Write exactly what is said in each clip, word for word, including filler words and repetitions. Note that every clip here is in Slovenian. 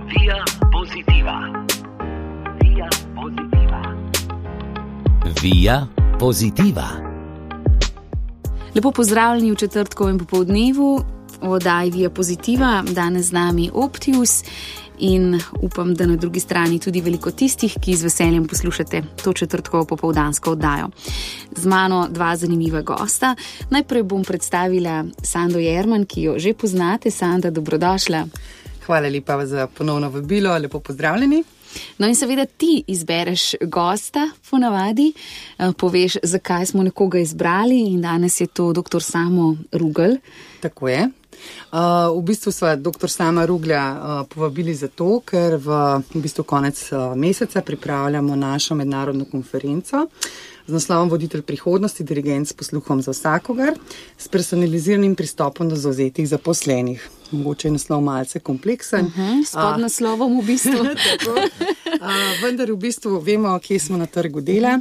Via Positiva. Via Positiva. Via Positiva. Lepo pozdravljeni v četrtkovem popoldnevu v oddaji Via Positiva. Danes z nami Optius in upam, da na drugi strani tudi veliko tistih, ki z veseljem poslušate to četrtkovo popoldansko oddajo. Z mano dva zanimiva gosta. Najprej bom predstavila Sando Jerman, ki jo že poznate. Sanda, dobrodošla. Hvala lepa za ponovno vabilo, lepo pozdravljeni. No in seveda ti izbereš gosta ponavadi, poveš, zakaj smo nekoga izbrali in danes je to doktor Samo Rugel. Tako je. Uh, v bistvu sva doktor Sama Ruglja uh, povabili zato, ker v, v bistvu konec uh, meseca pripravljamo našo mednarodno konferenco z naslovom Voditelj prihodnosti, dirigent s posluhom za vsakogar, s personaliziranim pristopom do zavzetih zaposlenih. Mogoče je naslov malce kompleksen. Uh-huh, s podnaslovom v bistvu. Tako, uh, vendar v bistvu vemo, kje smo na trgu dela.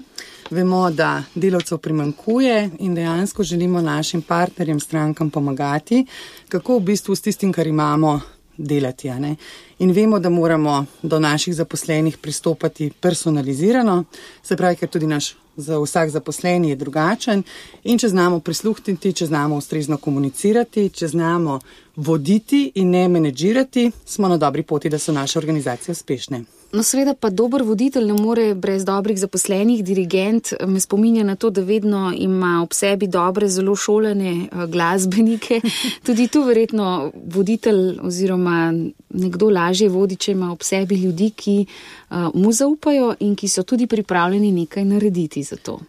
Vemo, da delavcev primanjkuje in dejansko želimo našim partnerjem, strankam pomagati, kako v bistvu s tistim, kar imamo, delati. A ne? In vemo, da moramo do naših zaposlenih pristopati personalizirano, se pravi, ker tudi naš za vsak zaposleni je drugačen in če znamo prisluhniti, če znamo ustrezno komunicirati, če znamo voditi in ne menedžirati, smo na dobri poti, da so naše organizacije uspešne. No seveda pa dober voditelj ne more brez dobrih zaposlenih. Dirigent me spominja na to, da vedno ima ob sebi dobre, zelo šolane glasbenike. Tudi tu verjetno voditelj oziroma nekdo lažje vodi, če ima ob sebi ljudi, ki uh, mu zaupajo in ki so tudi pripravljeni nekaj narediti za to.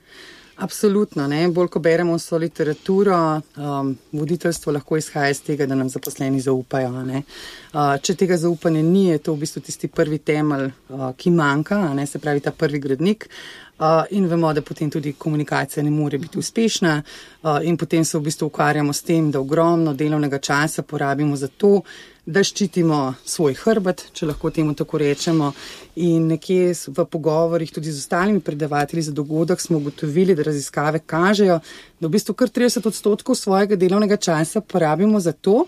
Absolutno, ne. Bolj ko beremo vso literaturo, um, voditeljstvo lahko izhaja iz tega, da nam zaposleni zaupajo. Ne. Uh, če tega zaupanja ni, je to v bistvu tisti prvi temelj, uh, ki manjka, ne, se pravi ta prvi gradnik. Uh, in vemo, da potem tudi komunikacija ne more biti uspešna uh, in potem se v bistvu ukvarjamo s tem, da ogromno delovnega časa porabimo za to, da ščitimo svoj hrbet, če lahko temu tako rečemo. In nekje v pogovorih tudi z ostalimi predavatelji za dogodek smo ugotovili, da raziskave kažejo, da v bistvu kar trideset odstotkov svojega delovnega časa porabimo za to,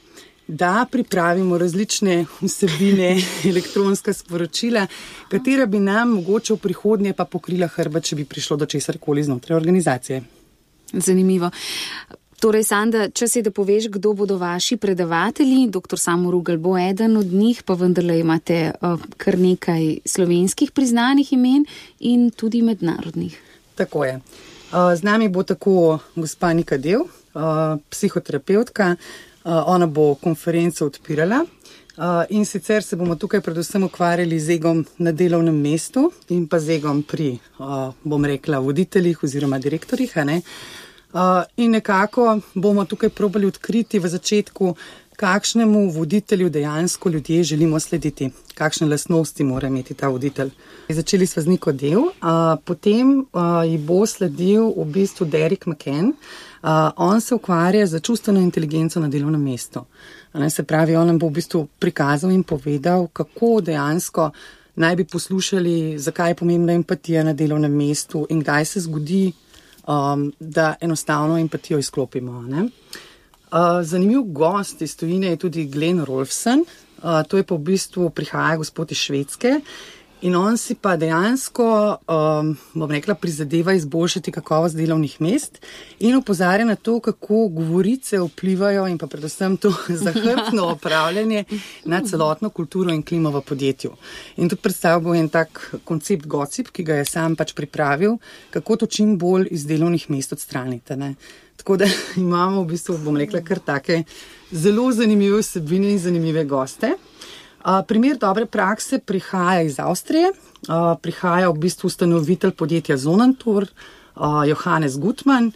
da pripravimo različne vsebine, elektronska sporočila, katera bi nam mogoče v prihodnje pa pokrila hrbet, če bi prišlo do česarkoli znotraj organizacije. Zanimivo. Torej, Sanda, čas je, da poveš, kdo bodo vaši predavatelji. Doktor Samo Rugel bo eden od njih, pa vendarle imate uh, kar nekaj slovenskih priznanih imen in tudi mednarodnih. Tako je. Uh, z nami bo tako gospa Nika Del, uh, psihoterapeutka. Uh, ona bo konferenco odpirala uh, in sicer se bomo tukaj predvsem ukvarjali z egom na delovnem mestu in pa z egom pri, uh, bom rekla, voditeljih oziroma direktorjih, a ne? Uh, in nekako bomo tukaj probali odkriti v začetku, kakšnemu voditelju dejansko ljudje želimo slediti, kakšne lastnosti mora imeti ta voditelj. Začeli smo z Niko Del, uh, potem uh, ji bo sledil v bistvu Derek McCann. Uh, on se ukvarja z čustveno inteligenco na delovnem mestu. Ne, se pravi, on nam bo v bistvu prikazal in povedal, kako dejansko naj bi poslušali, zakaj je pomembna empatija na delovnem mestu in kdaj se zgodi, Um, da enostavno empatijo izklopimo. Ne? Uh, zanimiv gost iz tujine je tudi Glenn Rolfsen, uh, to je pa v bistvu prihaja gospod iz Švedske in on si pa dejansko, um, bom rekla, prizadeva izboljšati kakovost delovnih mest in opozarja na to, kako govorice vplivajo in pa predvsem to zahrbtno upravljanje na celotno kulturo in klimo v podjetju. In tudi predstavil bo en tak koncept Gocip, ki ga je sam pač pripravil, kako to čim bolj iz delovnih mest odstranite. Ne? Tako da imamo v bistvu, bom rekla, kar take zelo zanimive vsebine in zanimive goste. Uh, primer dobre prakse prihaja iz Avstrije, uh, prihaja v bistvu ustanovitelj podjetja Zonantur, uh, Johannes Gutmann.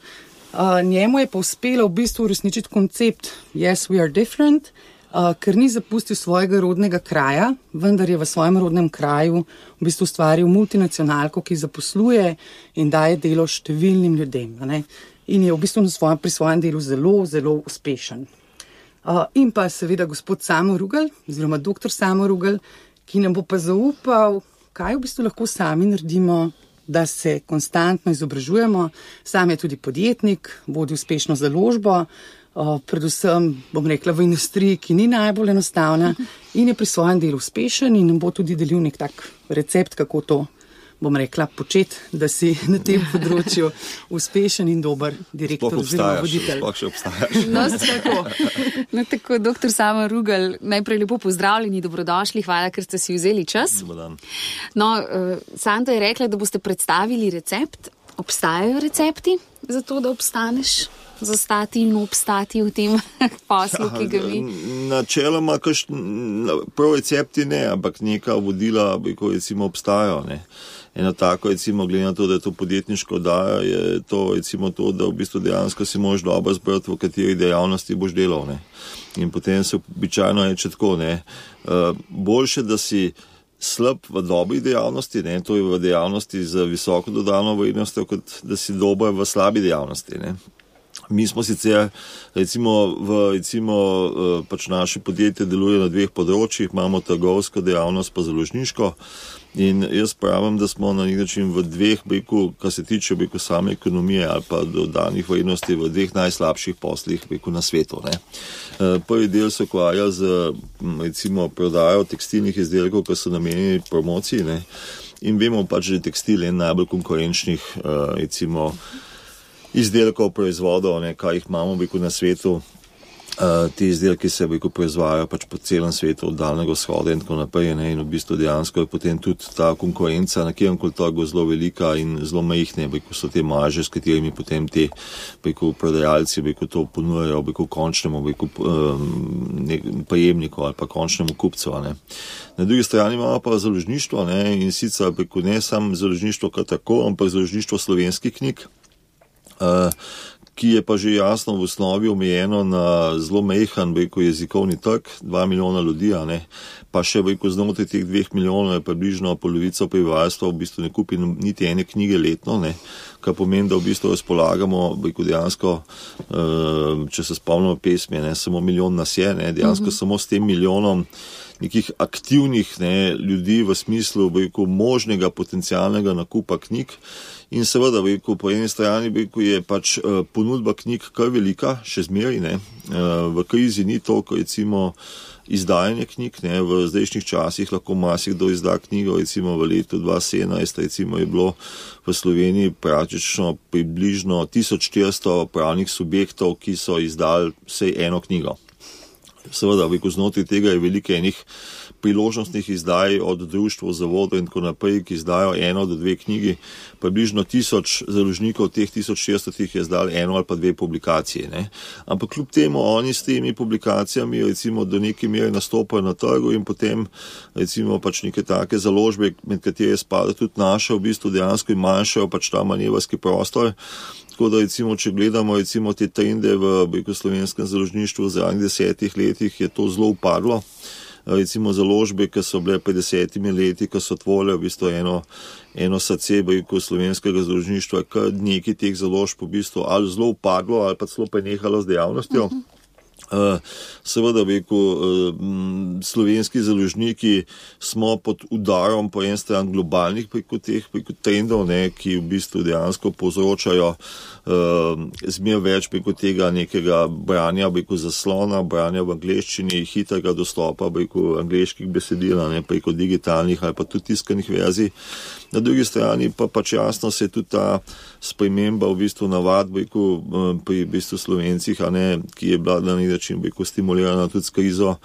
Uh, njemu je pa uspelo v bistvu uresničiti koncept Yes, we are different, uh, ker ni zapustil svojega rodnega kraja, vendar je v svojem rodnem kraju v bistvu ustvaril multinacionalko, ki zaposluje in daje delo številnim ljudem. Ne? In je v bistvu na svojem, pri svojem delu zelo, zelo uspešen. Uh, in pa seveda gospod Samo Rugel, oziroma doktor Samo Rugel, ki nam bo pa zaupal, kaj v bistvu lahko sami naredimo, da se konstantno izobražujemo. Sam je tudi podjetnik, vodi uspešno založbo, uh, predvsem, bom rekla, v industriji, ki ni najbolj enostavna in je pri svojem delu uspešen in nam bo tudi delil nek tak recept, kako to, bom rekla, početi, da si na tem področju uspešen in dober direktor oziroma voditelj. Sploh še obstajaš. No, tako. No, tako, doktor Samo Rugelj, najprej lepo pozdravljeni, dobrodošli, hvala, ker ste si vzeli čas. No, uh, Sanda je rekla, da boste predstavili recept. Obstajajo recepti za to, da obstaneš, zastati in obstati v tem poslu, ki ga vi? Načeloma, kaž, prav recepti ne, ampak neka vodila, ko recimo obstajajo, ne. Eno tako, recimo, glede na to, da je to podjetniško oddaja, je to, recimo, to, da v bistvu dejansko si možeš dobro zbrati, v kateri dejavnosti boš delal, ne. In potem se običajno reče tako, ne. Uh, boljše, da si slab v dobri dejavnosti, ne, to je v dejavnosti z visoko dodano vrednostjo, kot da si dober v slabi dejavnosti, ne. Mi smo sicer, recimo, v, recimo, pač naše podjetje deluje na dveh področjih, imamo trgovsko dejavnost pa založniško in jaz pravim, da smo na nek način v dveh, beku, kar se tiče, beku, same ekonomije ali pa dodanih vrednosti v dveh najslabših poslih, beku, na svetu, ne. Prvi del se ukvarja z, recimo, prodajo tekstilnih izdelkov, ki so namenjeni promociji, ne, in vemo pač, da je tekstil en najbolj konkurenčnih, recimo, izdelkov, proizvodov, ne, kaj jih imamo, beku, na svetu. Uh, ti izdelki se, beku, proizvajajo pač po celem svetu, od Daljnega vzhoda in tako naprej, ne, in v bistvu dejansko je potem tudi ta konkurenca na kjerkoli trgu zelo velika in zelo majhne, beku, so te marže, s katerimi potem te, beku, prodajalci, beku, to ponujajo, beku, končnemu, beku, um, prejemniku ali pa končnemu kupcu, ne. Na drugi strani imamo pa založništvo, ne, in sicer, beku, ne samo založništvo kot tako, ampak založništvo slovenskih knjig, uh, ki je pa že jasno v osnovi omejeno na zelo majhen, beku, jezikovni trg, dva milijona ljudi, a ne, pa še, beku, znotraj teh dveh milijonov je približno polovica prebivalstva v bistvu ne kupi niti ene knjige letno, ne, kar pomeni, da v bistvu razpolagamo, beku, dejansko, če se spomnimo pesmi, ne, samo milijon nas je, ne, dejansko mm-hmm. samo s tem milijonom nekih aktivnih, ne, ljudi v smislu, beku, možnega potencialnega nakupa knjig. In seveda, beku, po eni strani, beku, je pač uh, ponudba knjig kar velika, še zmeraj, ne. Uh, v krizi ni toliko, recimo, izdajanje knjig, ne. V zdajšnjih časih lahko marsikdo izda knjigo, recimo v letu dva tisoč sedemnajst, recimo je bilo v Sloveniji praktično približno tisoč štiristo pravnih subjektov, ki so izdali vsaj eno knjigo. Seveda, beku, znotraj tega je veliko enih priložnostnih izdaj od društva, zavodov in tako naprej, ki izdajo eno do dve knjigi. Približno tisoč založnikov, teh tisoč šeststo je izdali eno ali pa dve publikacije, ne. Ampak kljub temu oni s temi publikacijami, recimo, do neke mere nastopajo na trgu in potem, recimo, pač neke take založbe, med katere spada tudi naša, v bistvu dejansko in manjšajo pač ta manevrski prostor. Tako da, recimo, če gledamo, recimo, te trende v, beku, slovenskem založništvu v zadnjih desetih letih, je to zelo upadlo. Recimo založbe, ki so bile pred desetimi leti, ki so tvorile v bistvu eno, eno srce, beku, slovenskega založništva, kar nekaj teh založb v bistvu ali zelo upadlo ali pa celo prenehalo z dejavnostjo. Uh-huh. Uh, seveda, beku, uh, slovenski založniki smo pod udarom po en stran globalnih preko teh preko trendov, ne, ki v bistvu dejansko povzročajo uh, zmer več preko tega nekega branja, beku, zaslona, branja v angleščini, hitrega dostopa, beku, angleških besedil, ne, preko digitalnih ali pa tudi tiskanih verzij. Na drugi strani pa pač jasno se je tudi ta sprememba v bistvu navad, beku, pri v bistvu Slovencih, a ne, ki je bila na nek način, beku, stimulirana tudi s krizo,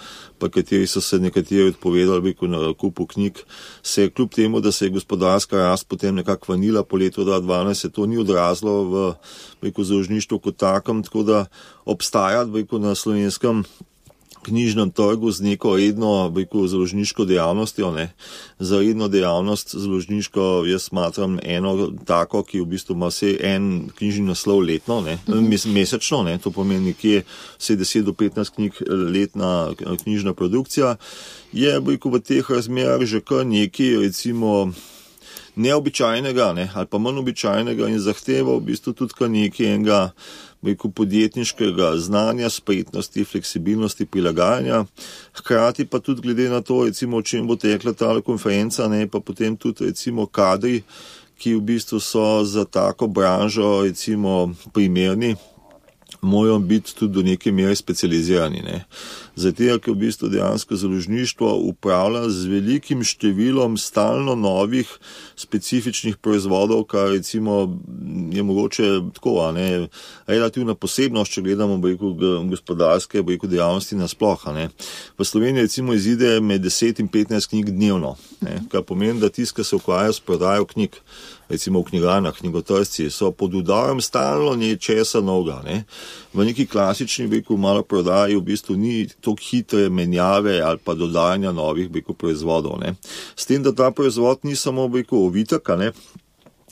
pa kateri so se nekateri odpovedali, beku, na kupu knjig, se je kljub temu, da se je gospodarska rast potem nekako vanila po letu dva tisoč dvanajst, se to ni odrazlo v, beku, založništvu kot takem, tako da obstaja, beku, na slovenskem knjižnem trgu z neko redno, beku, založniško dejavnostjo, ne. Za redno dejavnost založniško jaz smatram eno tako, ki v bistvu ima vse en knjižni naslov letno, ne, mm-hmm. mesečno, ne, to pomeni nekje vse deset do petnajst knjig letna knjižna produkcija, je, beku, v teh razmerah že kar nekaj, recimo, neobičajnega, ne, ali pa manj običajnega in zahteva v bistvu tudi kar nekaj enega, beku, podjetniškega znanja, spretnosti, fleksibilnosti, prilagajanja. Hkrati pa tudi glede na to, recimo, o čem bo tekla ta konferenca, ne, pa potem tudi, recimo, kadri, ki v bistvu so za tako branžo, recimo, primerni. morajo biti tudi do neke mere specializirani. Ne. Zato, ker v bistvu dejansko založništvo upravlja z velikim številom stalno novih specifičnih proizvodov, kar recimo je mogoče tako, a ne, relativna posebnost, če gledamo bojko, gospodarske bojko dejavnosti nasploh. A ne. V Sloveniji recimo izide med deset in petnajst knjig dnevno, ne, kar pomeni, da tisti, ki se ukvarjajo s prodajo knjig, recimo v knjigarnah, knjigotržci, so pod udarom stalno nečesa novega. Ne. V neki klasični bojko malo prodaji v bistvu ni toliko hitre menjave ali pa dodajanja novih bojko proizvodov. Ne. S tem, da ta proizvod ni samo bojko ovitek, ne,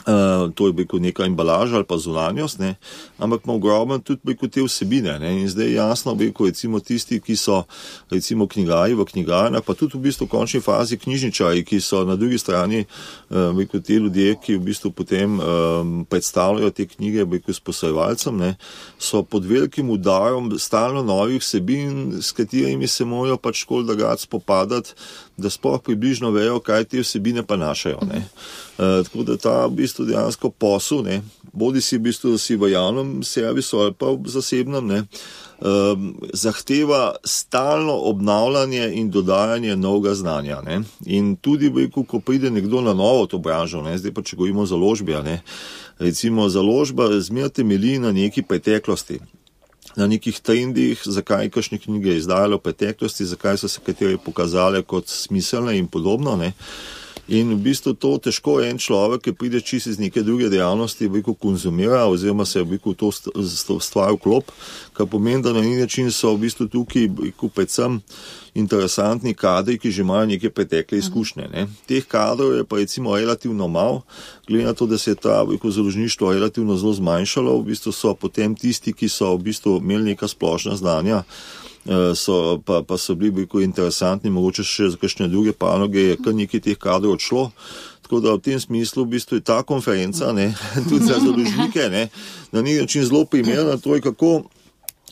Uh, to je bojko neka embalaža ali pa zunanjost, ne, ampak ima ogromno tudi bojko te vsebine. Ne, in zdaj jasno bojko recimo tisti, ki so recimo knjigarji v knjigarnah, pa tudi v bistvu v končni fazi knjižničarji, ki so na drugi strani uh, bojko te ljudje, ki v bistvu potem um, predstavljajo te knjige bojko s posojevalcem, ne, so pod velikim udarom stalno novih vsebin, s katerimi se morajo pač škol dagati spopadati, da sploh približno vejo, kaj te vsebine pa našajo. Ne. Uh, tako da ta v bistvu dejansko posel, ne, bodi si v bistvu si v javnem servisu ali pa v zasebnem, ne, uh, zahteva stalno obnavljanje in dodajanje novega znanja. Ne. In tudi, bojko, ko pride nekdo na novo to branžo, ne, zdaj pa če govorimo o založbi, ne, recimo založba zmeraj temelji na neki preteklosti, na nekih trendih, zakaj kakšne knjige izdajalo v preteklosti, zakaj so se katere pokazale kot smiselne in podobno, ne. In v bistvu to težko en človek, ki pride čisto iz neke druge dejavnosti, veliko konzumira oziroma se veliko to stvar vklop, kar pomeni, da na neki način so v bistvu tukaj veliko predvsem interesantni kadri, ki že imajo neke pretekle izkušnje. Ne. Teh kadrov je pa recimo relativno malo, glede na to, da se je ta veliko založništvo relativno zelo zmanjšalo, v bistvu so potem tisti, ki so v bistvu imeli neka splošna znanja, So, pa, pa so bili veliko interesantni, mogoče še za kakšne druge panoge, je kar nekaj teh kadrov odšlo. Tako da v tem smislu v bistvu je ta konferenca, ne, tudi za založnike, ne, na neki način zelo primerna, to je kako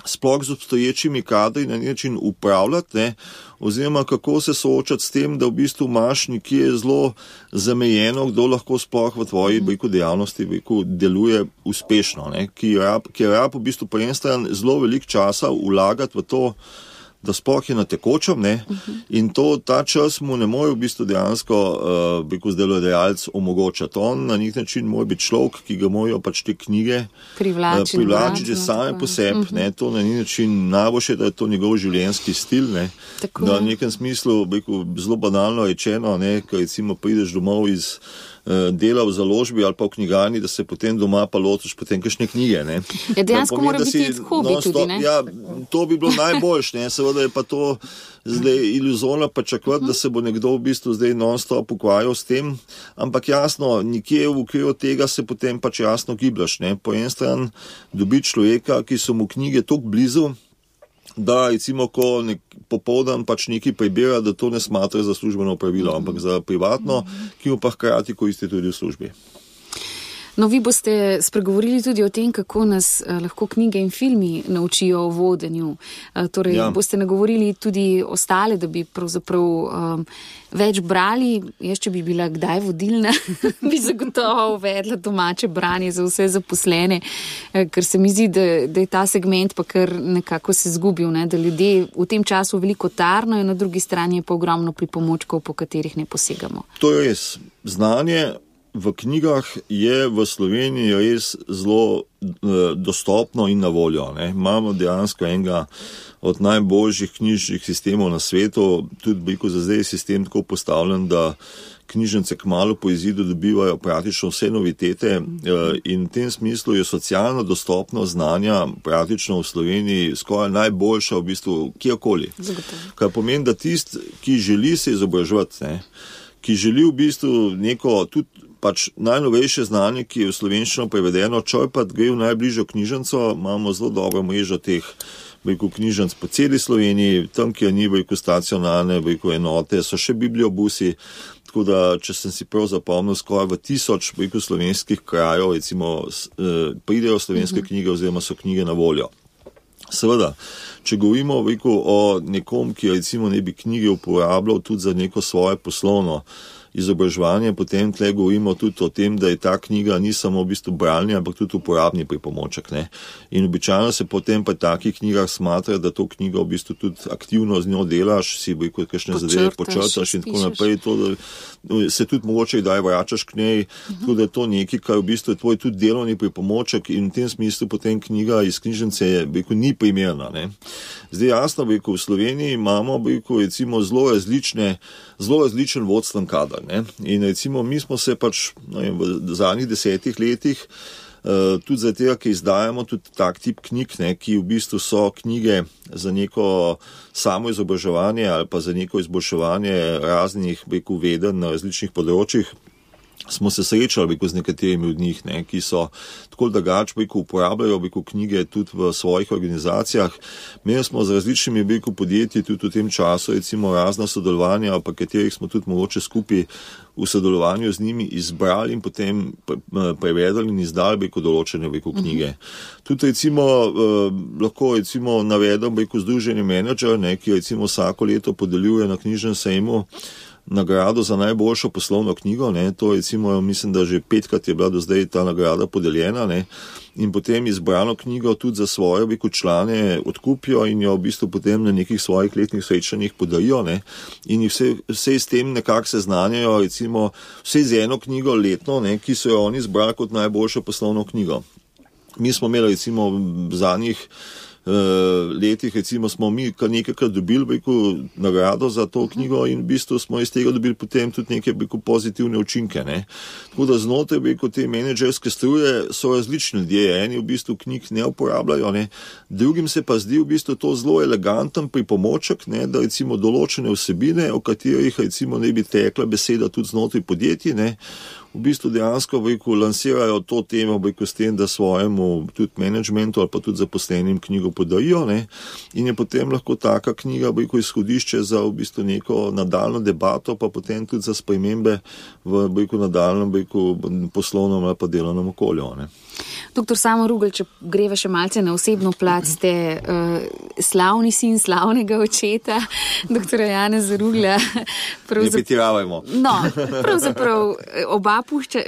sploh z obstoječimi kadri na neki način upravljati, ne, oziroma kako se soočati s tem, da v bistvu imaš nekje zelo zamejeno, kdo lahko sploh v tvoji bojko dejavnosti bojko deluje uspešno, ne, ki je rab v bistvu po eni strani zelo velik časa vlagati v to, da sploh je na tekočem, ne, in to, ta čas mu ne more v bistvu dejansko, uh, bojko delodajalec omogočati. On na nek način mora biti človek, ki ga morajo pač te knjige privlačiti, uh, privlačiti same po sebi, uh-huh. ne, to na nek način najboljše, da je to njegov življenjski stil, ne, tako da v nekem smislu, bojko zelo banalno rečeno, ne, ko recimo prideš domov iz dela v založbi ali pa v knjigarni, da se potem doma pa lotiš potem kakšne knjige. Ne. Ja, dejansko mora biti hobi tudi, ne? Ja, to bi bilo najboljše, ne, seveda je pa to zdaj iluzorno pričakovati, uh-huh. da se bo nekdo v bistvu zdaj non-stop ukvarjal s tem, ampak jasno, nikje v okviru tega se potem pač jasno gibljaš, ne. Po en stran dobiti človeka, ki so mu knjige toliko blizu, da recimo, ko nek, popoldan pač nekaj prebira, da to ne smatra za službeno pravilo, ampak za privatno, ki mu pa hkrati koristi tudi v službi. No, vi boste spregovorili tudi o tem, kako nas eh, lahko knjige in filmi naučijo o vodenju. Eh, torej, ja. Boste nagovorili tudi ostale, da bi pravzaprav um, več brali. Jaz, če bi bila kdaj vodilna, bi zagotovo uvedla domače branje za vse zaposlene, eh, ker se mi zdi, da, da je ta segment pa kar nekako se zgubil, ne? Da ljudje v tem času veliko tarno in na drugi strani je pa ogromno pripomočkov, po katerih ne posegamo. To je res. Znanje v knjigah je v Sloveniji res zelo eh, dostopno in na voljo. Ne. Imamo dejansko enega od najboljših knjižnih sistemov na svetu, tudi veliko za zdaj je sistem tako postavljen, da knjižnice kmalu po izidu dobivajo praktično vse novitete eh, in v tem smislu je socialno dostopno znanja praktično v Sloveniji skoraj najboljša v bistvu kjerkoli. Kar pomeni, da tist, ki želi se izobraževati, ne, ki želi v bistvu neko tudi pač najnovejše znanje, ki je v slovenščino prevedeno, črpati gre v najbližjo knjižnico, imamo zelo dobro mrežo teh veliko knjižnic po celi Sloveniji, tam, kjer ni veliko stacionarne, veliko enote, so še bibliobusi, tako da, če sem si prav zapomnil, skoraj v tisoč veliko slovenskih krajev, recimo, pridejo slovenske uh-huh. knjige oziroma so knjige na voljo. Seveda, če govorimo veliko o nekom, ki recimo ne bi knjige uporabljal tudi za neko svoje poslovno, izobraževanje, potem tle govorimo tudi o tem, da je ta knjiga ni samo v bistvu bralni, ampak tudi uporabni pripomoček. Ne? In običajno se potem pa takih knjigah smatra, da to knjigo v bistvu tudi aktivno z njo delaš, si bo kot kakšne zadeve počrtaš in tako naprej. To, da se tudi mogoče kdaj vračaš k njej, uh-huh. Tako da je to nekaj, kar v bistvu je tvoj tudi delovni pripomoček in v tem smislu potem knjiga iz knjižnice je, beko, ni primerna. Ne? Zdaj jasno, beko, v Sloveniji imamo beko, recimo zelo različne, zelo različen vodstven kadar. Ne? In recimo mi smo se pač no, v zadnjih desetih letih Uh, tudi za tega, ki izdajamo tudi tak tip knjig, ne, ki v bistvu so knjige za neko samo izobraževanje ali pa za neko izboljševanje raznih beku veden na različnih področjih, smo se srečali beku z nekaterimi od njih, ne, ki so tako drugače beku uporabljajo beku knjige tudi v svojih organizacijah. Mi smo z različnimi beku podjetji tudi v tem času recimo razna sodelovanja, pa katerih smo tudi mogoče skupaj v sodelovanju z njimi izbrali in potem prevedali in izdali beko določene beko knjige. Uh-huh. Tudi recimo eh, lahko recimo navedem beko združenje menedžer, ne, ki recimo vsako leto podeljuje na knjižnem sejmu nagrado za najboljšo poslovno knjigo, ne, to recimo mislim, da že petkrat je bila do zdaj ta nagrada podeljena, ne, in potem izbrano knjigo tudi za svoje beko člane odkupijo in jo v bistvu potem na nekih svojih letnih srečanjih podarijo, ne, in jih vse, vse s tem nekako seznanjajo, recimo vse z eno knjigo letno, ne, ki so jo oni izbrali kot najboljšo poslovno knjigo. Mi smo imeli recimo v zadnjih letih, recimo smo mi kar nekajkrat dobili beko nagrado za to knjigo in v bistvu smo iz tega dobili potem tudi neke beko pozitivne učinke, ne. Tako da znotraj beko te menedžerske struje so različni ljudje, eni v bistvu knjig ne uporabljajo, ne, drugim se pa zdi v bistvu to zelo eleganten pripomoček, ne, da recimo določene vsebine, o katerih recimo ne bi tekla beseda tudi znotraj podjetij, ne, v bistvu dejansko beko lansirajo to temo beko s tem, da svojemu tudi menedžmentu ali pa tudi zaposlenim knjigo podarijo, ne, in je potem lahko taka knjiga beko izhodišče za v bistvu neko nadaljno debato, pa potem tudi za spremembe v beko nadaljnem beko poslovnem ali pa delovnem okolju, ne. Doktor Samo Rugl, če greva še malce na osebno plat, ste uh, slavni sin slavnega očeta, doktora Janeza Rugla. Ne pretiravajmo. No, pravzaprav oba pušča,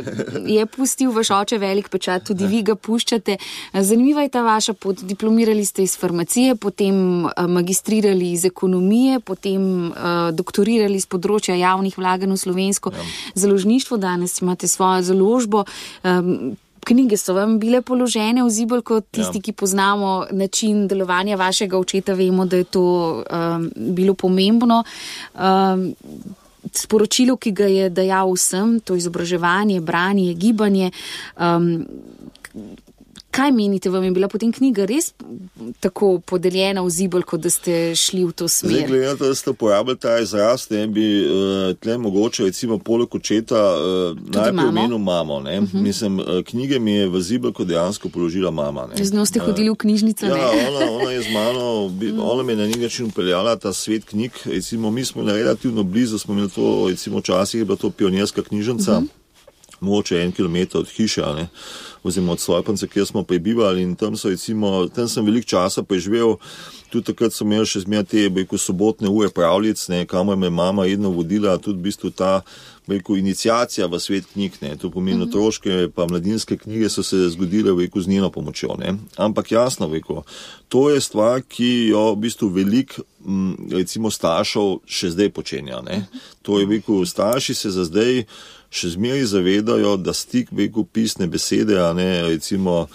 je pustil vaš oče velik pečat, tudi vi ga puščate. Zanimiva je ta vaša pot, diplomirali ste iz farmacije, potem uh, magistrirali iz ekonomije, potem uh, doktorirali iz področja javnih vlaganj v slovensko ja. založništvo, danes imate svojo založbo. Um, Knjige so vam bile položene v zibelko, tisti, ja. ki poznamo način delovanja vašega očeta, vemo, da je to um, bilo pomembno. Um, sporočilo, ki ga je dajal vsem, to izobraževanje, branje, gibanje. Um, kaj menite, vam je bila potem knjiga res tako podeljena v zibelko, da ste šli v to smer? Zdaj, glede, da ste uporabili ta izraz, ne bi uh, tle mogoče recimo poleg očeta uh, najprej omenil mamo. Ne? Uh-huh. Mislim, uh, knjige mi je v zibelko dejansko položila mama. Ne? Z njo ste hodili v knjižnico, uh, ne? Ja, ona, ona je z mano, ona me na nek način upeljala ta svet knjig. Recimo, mi smo relativno blizu, smo imeli to, recimo včasih je bila to pionirska knjižnica, uh-huh. mogoče en kilometer od hiše, ne? Oziroma od Svojpance, kjer smo prebivali in tam so recimo, tam sem veliko časa preživel, tudi takrat sem imel še zmer te, bejko, sobotne ure pravljic, ne, kamor me mama jedno vodila, tudi v bistvu ta, bejko, iniciacija v svet knjig, ne, to pomeni otroške pa mladinske knjige so se zgodile, bejko, z njeno pomočjo, ne. Ampak jasno, bejko, to je stvar, ki jo v bistvu velik, recimo, staršev še zdaj počenja, ne. To je, bejko, starši se za zdaj še zmeri zavedajo, da stik beko pisne besede, a ne, recimo,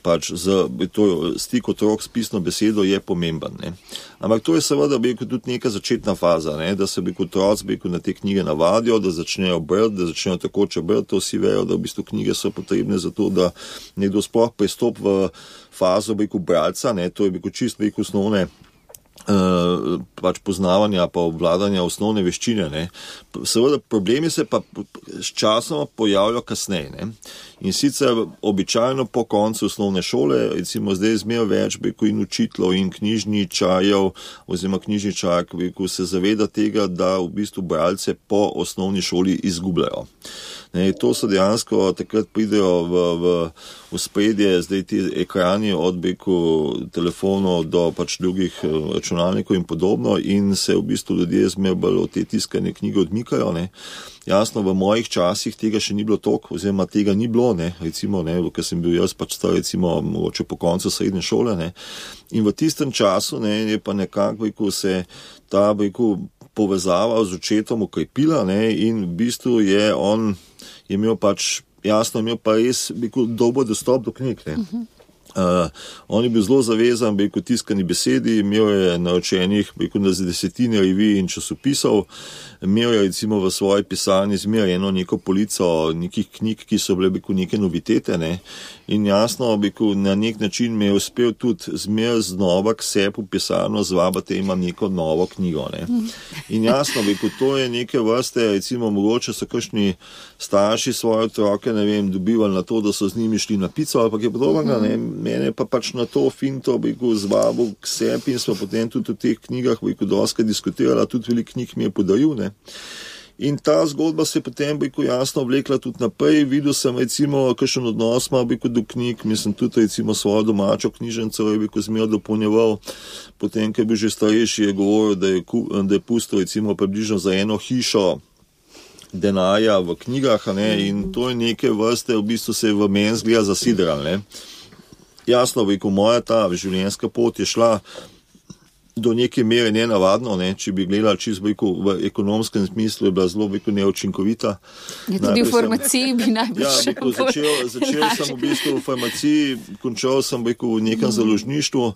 pač z, to, stik otrok s pisno besedo je pomemben, ne. Ampak to je seveda beko tudi neka začetna faza, ne, da se beko otroci beko na te knjige navadijo, da začnejo brati, da začnejo takoče brati, to vsi vejo, da v bistvu knjige so potrebne za to, da nekdo sploh pristop v fazo beko bralca, ne, to je beko čist beko osnovne Uh, pač poznavanja pa obvladanja osnovne veščine, ne. Seveda problemi se pa s časom pojavljajo kasneje, ne. In sicer običajno po koncu osnovne šole, recimo zdaj zmer več beko in učiteljev in knjižničarjev oziroma knjižničark beko se zaveda tega, da v bistvu bralce po osnovni šoli izgubljajo. Ne, to so dejansko takrat pridejo v, v, v spredje, zdaj ti ekrani od beku telefonov do pač drugih računalnikov in podobno in se v bistvu ljudje zmeraj bolj od te tiskane knjige odmikajo. Ne. Jasno, v mojih časih tega še ni bilo toliko, oziroma tega ni bilo, ne, recimo, ne, ker sem bil jaz pač star, recimo, mogoče po koncu srednje šole, ne. In v tistem času, ne, je pa nekako, ko se ta, beku, povezava z očetom ukrepila, ne, in v bistvu je on je imel pač, jasno, imel pa res beku, dober dostop do knjig, ne. Uh-huh. Uh, on je bil zelo zavezan, beku, tiskani besedi, imel je naročenih, beku, na desetine revij in časopisov, imel je recimo v svoji pisarni zmeraj eno neko polico nekih knjig, ki so bile, beku, neke novitete, ne. In jasno, beku, na nek način me je uspel tudi zmeraj znova k sebi v pisarno zvabati, imam neko novo knjigo, ne. In jasno, beku, to je neke vrste, recimo, mogoče so kakšni starši svoje otroke, ne vem, dobivali na to, da so z njimi šli na pico ali pa kaj podobnega, ne. Mene pa pač na to finto, beku, zvabil k sebi in smo potem tudi v teh knjigah, beku, doskrat diskutirala, tudi veliko knjig mi je podaril, ne. In ta zgodba se je potem, beku, jasno vlekla tudi naprej. Videl sem, recimo, kakšen odnos ima, beku, do knjig, mislim tudi, recimo, svojo domačo knjižnico je, beku, zmeraj dopolnjeval. Potem, ko je bil že starejši, je govoril, da je, da je pustil, recimo, približno za eno hišo denarja v knjigah, ne, in to je neke vrste, v bistvu se je v meni zgleda zasidral, ne. Jasno, beku, moja ta življenjska pot je šla do neke mere nenavadno, ne, če bi gledali čisto, beku, v ekonomskem smislu, je bila zelo, beku, neučinkovita. Je tudi v farmaciji bi najbolj ja, beku, začel, začel sem v bistvu v farmaciji, končal sem, beku, v nekem mm. založništvu,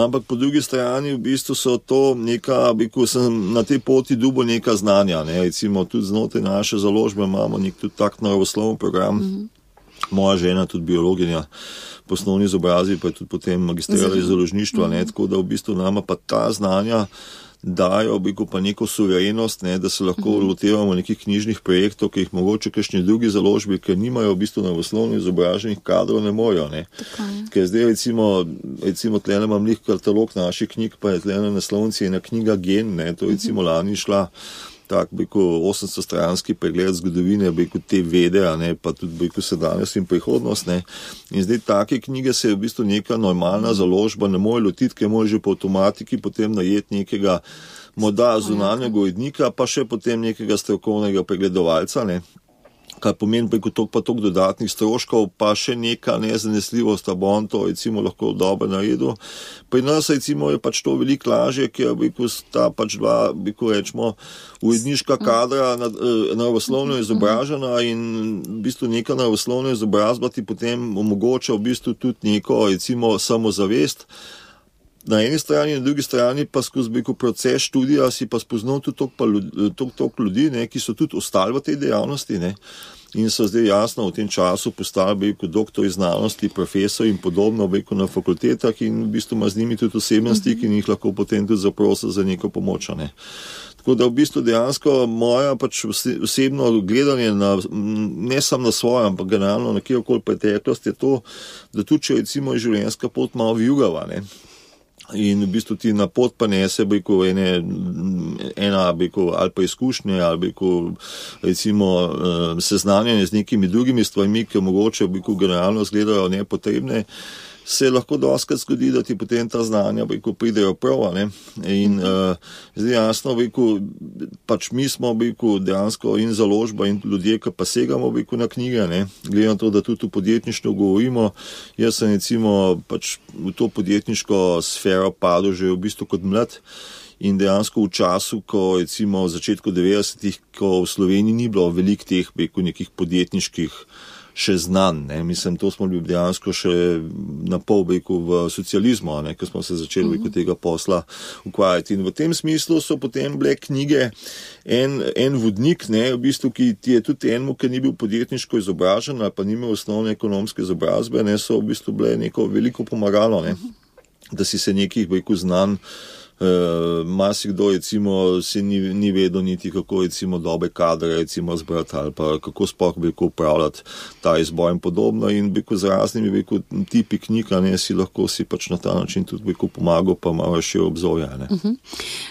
ampak po drugi strani v bistvu so to neka, beku, sem na tej poti dobil neka znanja, ne, recimo tudi znotraj naše založbe imamo nek tudi tak naravoslovni program, mm. moja žena tudi biologinja, po osnovni izobrazbi pa je tudi potem magistrirala iz založništva, ne, tako da v bistvu nama pa ta znanja dajo, beku, pa neko suverenost, ne, da se lahko uh-huh. lotevamo nekih knjižnih projektov, ki jih mogoče kakšni drugi založbi, ker nimajo v bistvu naravoslovno izobraženih kadrov, ne mojo, ne. Ker zdaj recimo, recimo tlele imam lik katalog naših knjig, pa je tlele naslovnici ena knjiga Gen, ne, to je recimo lani šla tak, beku, osemsto stranski pregled zgodovine, beku, te vede, ne, pa tudi, beku, sedanjost in prihodnost, ne. In zdaj take knjige se je v bistvu neka normalna založba ne more lotiti, ker može po avtomatiki potem najeti nekega morda zunanjega urednika, pa še potem nekega strokovnega pregledovalca, ne. Kar pomeni, beku, tok pa tok dodatnih stroškov, pa še neka nezanesljivost, da bo on to, recimo, lahko dobro naredil. Pri nas, recimo, je pač to veliko lažje, ker, beku, sta pač dva, beku, rečemo, uredniška kadra naravoslovno izobražena in v bistvu neka naravoslovna izobrazba ti potem omogoča v bistvu tudi neko, recimo, samozavest. Na eni strani, na drugi strani pa skozi, beku, proces študija si pa spoznal tudi toliko ljudi, ne, ki so tudi ostali v tej dejavnosti, ne, in so zdaj jasno v tem času postali, beku, doktori znanosti, profesori in podobno, beku, na fakultetah in v bistvu ima z njimi tudi osebni stik in jih lahko potem tudi zaprosi za neko pomoč, ne. Tako da v bistvu dejansko moja pač osebno gledanje na, ne samo na svojo, ampak generalno na kjerkoli preteklost je to, da tudi če recimo je življenjska pot malo vijugava, ne. In v bistvu ti na pot pa nese, beku, ene, ena, beku, ali pa izkušnje, ali beku, recimo, seznanjanje z nekimi drugimi stvarmi, ki mogoče, beku, generalno izgledajo nepotrebne, se lahko doskrat zgodi, da ti potem ta znanja, beku, pridejo prav, ne. In uh, zdaj jasno, beku, pač mi smo, beku, dejansko in založba in ljudje, ki pa segamo, beku, na knjige, ne. Glede na to, da tudi v podjetništvu govorimo, jaz sem recimo pač v to podjetniško sfero padel že v bistvu kot mlad in dejansko v času, ko recimo v začetku devetdesetih, ko v Sloveniji ni bilo veliko teh, beku, nekih podjetniških še znan, ne. Mislim, to smo bili dejansko še na pol, beku, v socializmu, ne, ko smo se začeli, beku, tega posla ukvarjati. In v tem smislu so potem bile knjige en, en vodnik, ne, v bistvu, ki ti je tudi enemu, ki ni bil podjetniško izobražen ali pa ni imel osnovne ekonomske izobrazbe, ne, so v bistvu bile neko veliko pomagalo, ne, da si se nekih, beku, znan. Uh, marsikdo recimo se ni, ni vedel niti kako recimo dobe kadre recimo zbrati ali pa kako sploh beku upravljati ta izbor in podobno in beku z raznimi beku tipi knjig, ne, si lahko si pač na ta način tudi beku pomagal pa malo še obzorja, ne. Uh-huh.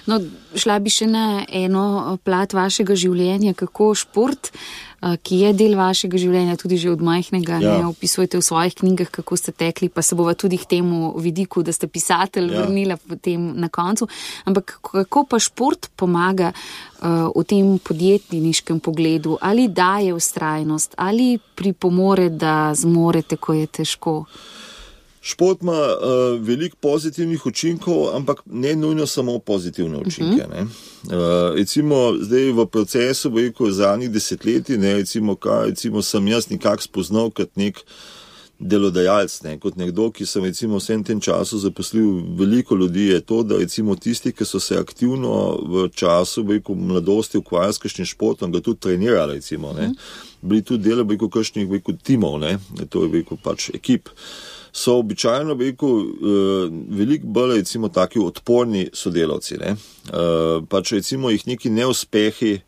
No, šla bi še na eno plat vašega življenja, kako šport ki je del vašega življenja, tudi že od majhnega, Ja. ne, opisujete v svojih knjigah, kako ste tekli, pa se bova tudi k temu vidiku, da ste pisatelj, Ja. vrnila potem na koncu. Ampak kako pa šport pomaga uh, v tem podjetniškem pogledu? Ali daje vztrajnost, ali pripomore, da zmorete, ko je težko? Šport ima uh, veliko pozitivnih učinkov, ampak ne nujno samo pozitivne učinke. Ne. Uh, recimo zdaj v procesu, veliko zadnjih desetletij, ne, recimo, kaj recimo sem jaz nekako spoznal kot nek delodajalec, ne, kot nekdo, ki sem recimo vsem tem času zaposlil veliko ljudi, je to, da recimo tisti, ki so se aktivno v času veliko mladosti ukvarjali s kakšnim športom, ga tudi trenirali, recimo, ne, bili tudi del veliko kakšnih veliko timov, ne, to je veliko pač ekip. So običajno veliko, uh, veliko bolj recimo taki odporni sodelavci, ne. Uh, pač recimo jih neki neuspehi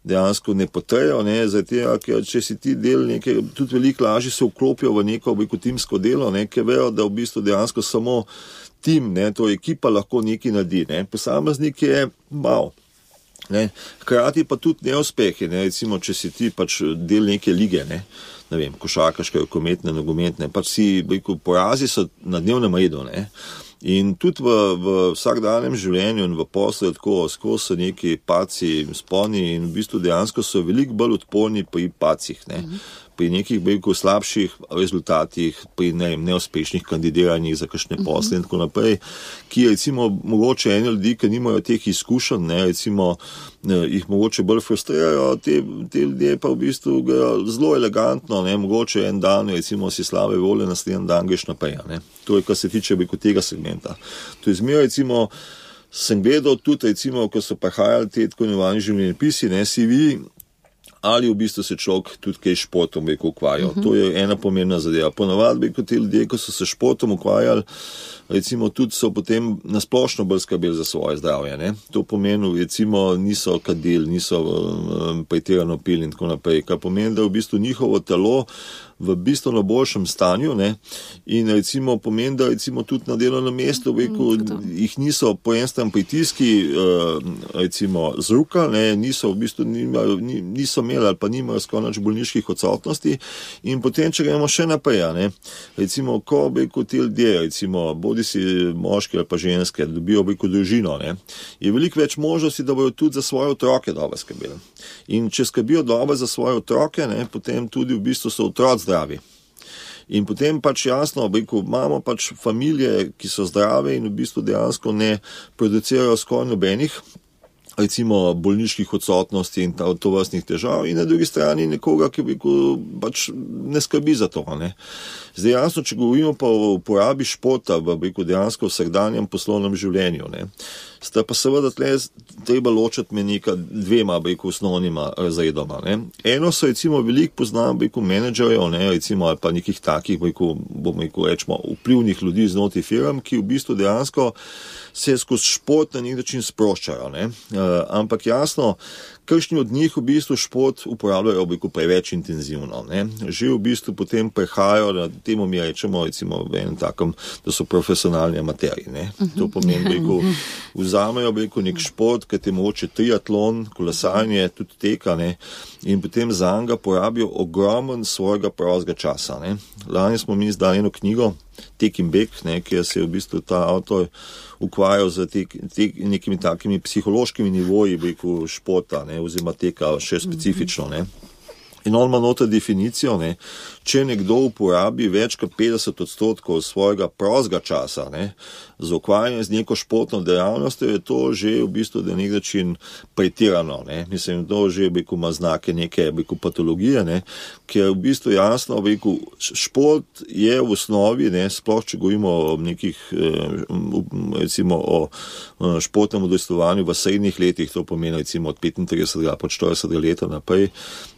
dejansko ne potrejo, ne, zato, ker če si ti del neke, tudi veliko lažje se vklopijo v neko veliko timsko delo, ne, ker vejo, da v bistvu dejansko samo tim, ne, to ekipa lahko nekaj naredi, ne. Posameznik je mal. Ne. Hkrati pa tudi neuspehi, ne, recimo, če si ti pač del neke lige, ne, ne vem, košarkaške, rokometne, nogometne, pač si, veliko porazi so na dnevnem redu, ne. In tudi v, v vsakdanjem življenju in v poslu tako skozi so neki paci, sponi in v bistvu dejansko so veliko bolj odporni pri pacih, ne. Pri nekih veliko slabših rezultatih, pri ne, neuspešnih kandidiranjih za kakšne posle in tako naprej, ki recimo mogoče eni ljudi, ki nimajo teh izkušenj, ne, recimo ne, jih mogoče bolj frustrirajo, te, te ljudje pa v bistvu ga zelo elegantno, ne, mogoče en dan recimo si slabe volje, naslednji dan greš naprej, ne. To je, kar se tiče veliko tega segmenta. To je zmeraj recimo, sem gledal tudi recimo, ko so prihajali te tako imenovani življenjepisi, ne, C V, ali v bistvu se človek tudi kaj športom veliko ukvarjal. Uh-huh. To je ena pomembna zadeva. Ponavadi veliko te ljudje, ko so se športom ukvarjali, recimo tudi so potem nasplošno bolj skrbeli za svoje zdravje, ne. To pomeni, recimo niso kadili, niso um, pretirano pili in tako naprej, kar pomeni, da v bistvu njihovo telo v bistvu na boljšem stanju, ne, in recimo pomeni, da recimo tudi na delovnem mestu veliko jih niso po en stran pritiski, uh, recimo zrukali, ne, niso v bistvu nimajo, niso imeli ali pa nimajo skoraj nič bolniških odsotnosti in potem, če gremo še naprej, ne, recimo, ko veliko ti ljudje, recimo, bodi si moški ali pa ženske, dobijo veliko družino, ne, je veliko več možnosti, da bojo tudi za svoje otroke dobro skrbeli. In če skrbijo dobro za svoje otroke, ne, potem tudi v bistvu so otroci zdravi. In potem pač jasno, veliko, imamo pač familije, ki so zdrave in v bistvu dejansko ne producirajo skoraj nobenih, recimo bolniških odsotnosti in tovrstnih težav, in na drugi strani nekoga, ki veliko pač ne skrbi za to, ne. Zdaj jasno, če govorimo pa o uporabi športa v veliko dejansko vsakdanjem poslovnem življenju, ne, sta pa seveda tle treba ločiti med neka dvema veliko osnovnima razredoma, ne. Eno so recimo veliko poznam veliko menedžerjev, ne, recimo ali pa nekih takih veliko, bomo rekel, rečemo, vplivnih ljudi znotraj firm, ki v bistvu dejansko se skozi šport na nek način sproščajo, ne. Uh, ampak jasno, kakšni od njih v bistvu šport uporabljajo veliko preveč intenzivno, ne. Že v bistvu potem prehajajo, na temu mi rečemo, recimo v enem takem, da so profesionalni amaterji, ne. To pomeni, veliko vzamejo veliko nek šport, kot je mogoče triatlon, kolesarjenje, tudi teka, ne, in potem zanj ga porabijo ogromen svojega prostega časa, ne. Lani smo mi izdali eno knjigo, Tek in beg, ne, kjer se je v bistvu ta avtor ukvarjal z te, te, nekimi takimi psihološkimi nivoji veliko športa, ne, oziroma teka še specifično, ne. In on ima noter definicijo, ne, če nekdo uporabi več kot petdeset odstotkov svojega prostega časa, ne, za ukvarjanje z neko športno dejavnostjo, je to že v bistvu na nek način pretirano, ne. Mislim, to že veliko ima znake neke veliko patologije, ne, ker v bistvu jasno, veliko šport je v osnovi, ne, sploh če govorimo o nekih, recimo o športnem udejstvovanju v srednjih letih, to pomeni recimo od petintridesetega pa štiridesetega leta naprej,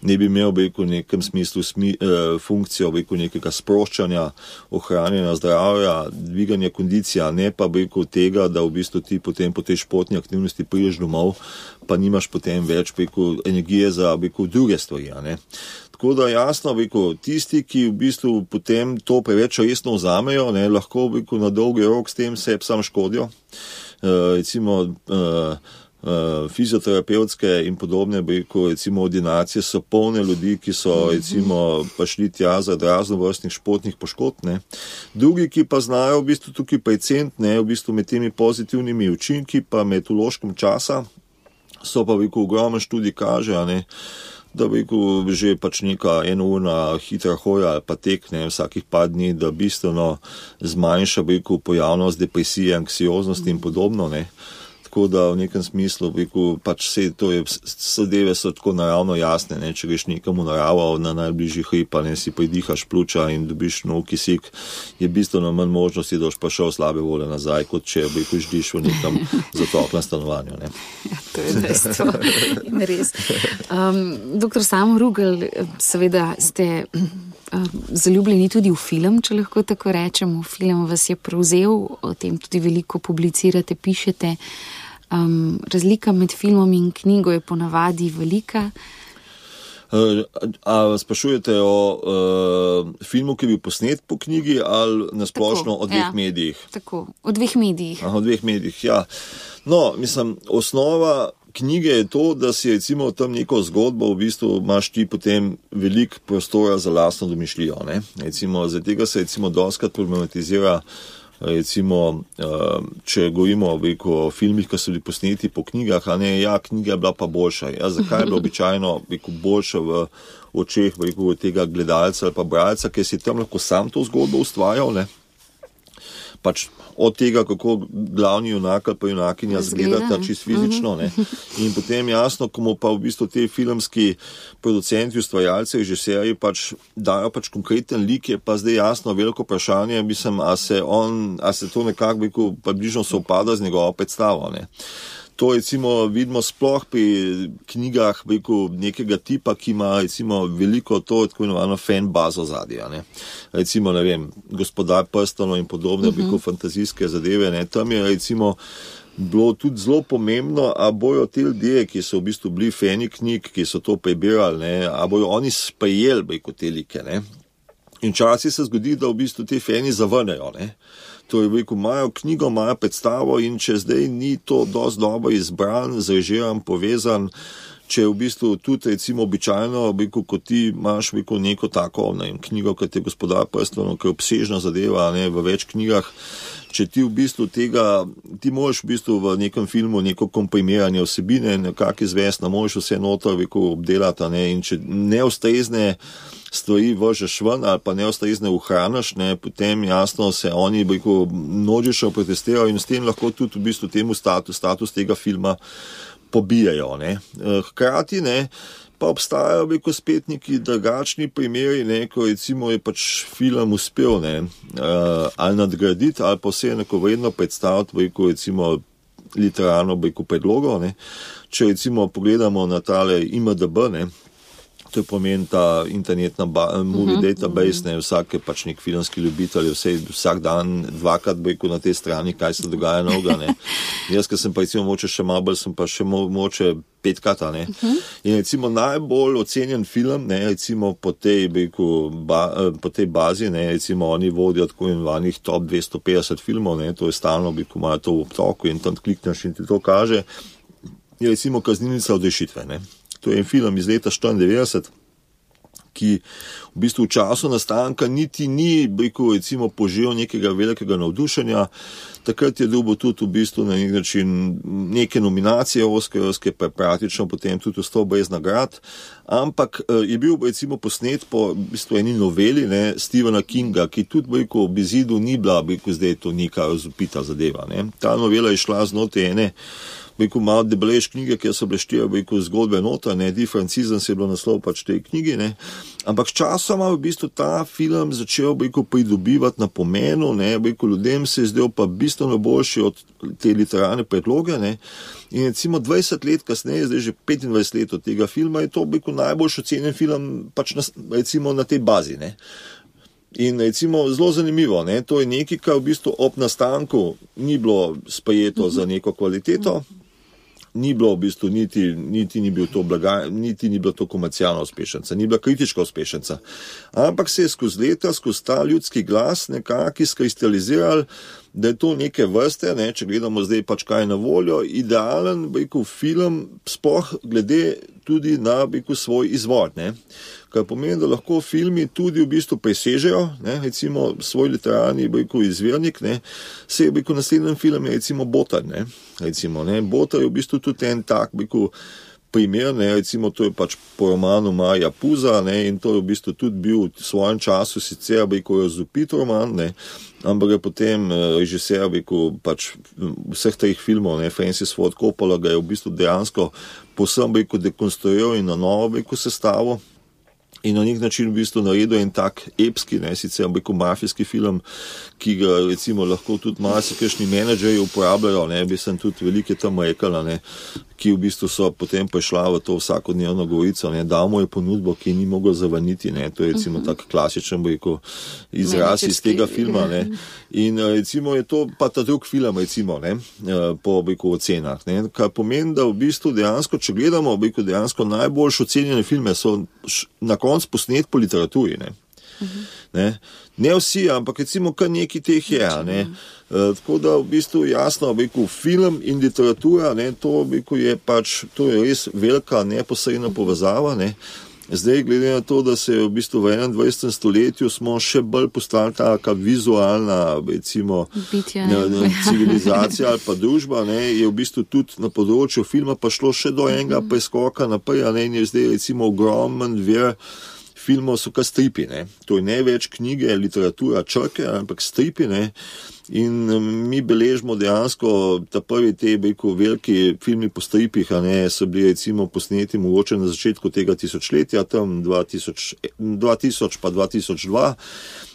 ne bi imel veliko v nekem smislu smi, eh, funkcijo veliko nekega sproščanja, ohranjanja zdravja, dviganja kondicija, ne pa veliko tega, da v bistvu ti potem po tej športni aktivnosti prideš domov, pa nimaš potem več veliko energije za veliko druge stvari, ne. Tako da jasno, veliko tisti, ki v bistvu potem to preveč resno vzamejo, ne, lahko veliko na dolgi rok s tem sebi sam škodijo. Uh, recimo uh, Uh, fizioterapevtske in podobne, rekel, recimo ordinacije so polne ljudi, ki so recimo pa šli tja za raznovrstnih športnih poškodb, ne. Drugi, ki pa znajo v bistvu tukaj precent, ne, v bistvu med temi pozitivnimi učinki, pa med vložkom časa, so pa rekel, ogromen študij kaže, ne, da rekel, že pač neka enourna hitra hoja ali pa tek, ne, vsakih par dni, da bistveno zmanjša rekel, pojavnost depresije, anksioznosti in podobno, ne. Tako da v nekem smislu, rekel, pač vse to je, zadeve so tako naravno jasne, ne, če greš nekam v naravo na najbližji hrib, ne, si pridihaš pljuča in dobiš nov kisik, je bistveno manj možnosti, da boš pa šel slabe vole nazaj, kot če, rekel, ždiš v nekam zatoklem stanovanju, ne. Ja, to je dejstvo. Res. Um, doktor Samo Rugel, seveda ste zaljubljeni tudi v film, če lahko tako rečemo. Film vas je prevzel, o tem tudi veliko publicirate, pišete. Um, razlika med filmom in knjigo je ponavadi velika. Uh, a sprašujete o uh, filmu, ki je bil posnet po knjigi ali nasplošno o dveh ja, medijih? Tako, o dveh medijih. Aha, o dveh medijih, ja. No, mislim, osnova knjige je to, da si recimo tam neko zgodbo, v bistvu imaš ti potem veliko prostora za lastno domišljijo, ne. Recimo, zaradi tega se recimo doskrat problematizira, recimo, če govorimo o filmih, ki so bili posneti po knjigah, a ne, ja, knjiga je bila pa boljša. Ja, zakaj je bila običajno boljša v očeh rekel, tega gledalca ali pa bralca, ker si tam lahko sam to zgodbo ustvarjal, ne? Pač od tega, kako glavni junak ali pa junakinja zgledata čisto fizično, ne. In potem jasno, komu pa v bistvu te filmski producenti, ustvarjalci, režiserji pač dajo pač konkreten lik, je pa zdaj jasno veliko vprašanje, mislim, a se on, a se to nekako rekel, pa bližno se upada z njegovo predstavo, ne. To recimo vidimo sploh pri knjigah rekel, nekega tipa, ki ima recimo veliko to tako imenovano fan bazo zadnja, ne. Recimo, ne vem, Gospodar prstanov in podobne uh-huh. rekel, fantazijske zadeve, ne. Tam je recimo bilo tudi zelo pomembno, a bojo te ljudje, ki so v bistvu bili fani knjig, ki so to prebirali, ne, a bojo oni sprejeli rekel, te like, ne. In včasih se zgodi, da v bistvu te fani zavrnejo, ne. To je rekel, imajo knjigo, imajo predstavo in če zdaj ni to dosti dobro izbran, zrežiran, povezan, če v bistvu tudi recimo običajno, rekel, ko ti imaš rekel, neko tako ne, knjigo, kot je Gospodar prstanov, ki je obsežna zadeva ne, v več knjigah, če ti v bistvu tega, ti moraš v bistvu v nekem filmu neko komprimiranje vsebine, nekak izvest, ne moreš vse noter rekel, obdelati ne, in če neustrezne stvari vržeš ven ali pa neustrezne uhraniš, ne, potem jasno se oni rekel, množično protestirajo in s tem lahko tudi v bistvu temu status, status tega filma pobijajo. Ne. Hkrati ne, pa obstajajo rekel, spet neki drugačni primeri, ne, ko recimo je pač film uspel ne, ali nadgraditi ali pa vse enakovredno predstaviti rekel, recimo literarno rekel, predlogo. Ne. Če recimo pogledamo na tale I M D B, ne, to je pomen ta internetna ba- movie uh-huh, database, uh-huh. ne, vsak je pač nek filmski ljubitelj, vse, vsak dan dvakrat rekel na tej strani, kaj se dogaja novega, ne. Jaz, ker sem pa recimo moče še malo bolj, sem pa še mo- moče petkrat, ne. Uh-huh. In recimo najbolj ocenjen film, ne, recimo po tej, rekel, ba- po tej bazi, ne, recimo oni vodijo tako imenovanih top dvesto petdeset filmov, ne, to je stalno, rekel, imajo to v obtoku in tam klikneš in ti to kaže, je recimo Kaznilnica odrešitve, ne. To je en film iz leta štiriindevetdeset, ki v bistvu v času nastanka niti ni, rekel, recimo, požel nekega velikega navdušenja. Takrat je dobil tudi v bistvu na nek način neke nominacije oskarske, pa praktično potem tudi ostal brez nagrad. Ampak je bil recimo posnet po v bistvu eni noveli ne, Stephena Kinga, ki tudi rekel, ob izidu ni bila, rekel, zdaj to neka razvpita zadeva. Ne. Ta novela je šla znotraj ene rekel, malo debelejš knjige, kjer so bile štiri rekel, zgodbe nota, ne, Differencizem se je bilo naslov pač tej knjigi, ne. Ampak časoma v bistvu ta film začel rekel, pridobivati na pomenu, ne, rekel, ljudem se je zdel pa bistveno boljši od te literarne predloge, ne. In recimo dvajset let kasneje, zdaj že petindvajset let od tega filma, je to rekel, najboljši ocenjen film pač na, recimo na tej bazi, ne. In recimo zelo zanimivo, ne, to je nekaj, kar v bistvu ob nastanku ni bilo sprejeto za neko kvaliteto, ni bilo v bistvu, niti, niti ni bil to blaga, niti ni bila to komercialna uspešnica, ni bila kritička uspešnica. Ampak se je skozi leta, skozi ta ljudski glas nekako izkristaliziral, da je to neke vrste, ne, če gledamo zdaj pač kaj na voljo, idealen, rekel, film, sploh glede tudi na, rekel, svoj izvod, ne. Kar pomeni, da lahko filmi tudi v bistvu presežejo, ne, recimo svoj literarni, rekel, izvirnik, ne, se je, rekel, naslednjem film je recimo Botar, ne, recimo, ne, Botar je v bistvu tudi en tak, rekel, primer, ne, recimo to je pač po romanu Marija Puza, ne, in to je v bistvu tudi bil v svojem času sicer, rekel, razvpit roman, ne, ampak je potem režiser, rekel, pač vseh treh filmov, ne, Francis Ford Coppola ga je v bistvu dejansko povsem, rekel, dekonstruiral in na novo, rekel, sestavo. In na nek način v bistvu naredil en tak epski, ne, sicer rekel, mafijski film, ki ga recimo lahko tudi marsikakšni menedžerji uporabljajo, ne, bi sem tudi velike tam rekla, ne, ki v bistvu so potem prišla v to vsakodnevno govorico, ne, dal mu je ponudbo, ki ni mogel zavrniti, ne, to je recimo tak klasičen, rekel, izraz iz tega filma, ne, in recimo je to pa ta drug film, recimo, ne, po, rekel, ocenah, ne, kar pomeni, da v bistvu dejansko, če gledamo, rekel, dejansko najboljš ocenjene filme so na konc posnet po literaturi, ne. Uh-huh. Ne? Ne vsi, ampak recimo kar neki teh je, ne. Uh, tako da v bistvu jasno, rekel, film in literatura, ne, to, rekel, je pač, to je res velika neposredna povezava, ne. Zdaj, glede na to, da se je v bistvu v enaindvajsetem stoletju smo še bolj postali taka vizualna, recimo, Bitja, ne, ne, civilizacija ali pa družba, ne, je v bistvu tudi na področju filma pa šlo še do enega preskoka naprej, ne, in je zdaj recimo ogromen vir filmov so kar stripi, ne. To je ne več knjige, literatura, črke, ampak stripi, ne. In mi beležimo dejansko ta prvi te, rekel, veliki filmi po stripih, a ne, so bili recimo posneti mogoče na začetku tega tisočletja, tam dva tisoč, dva tisoč pa dva tisoč dva.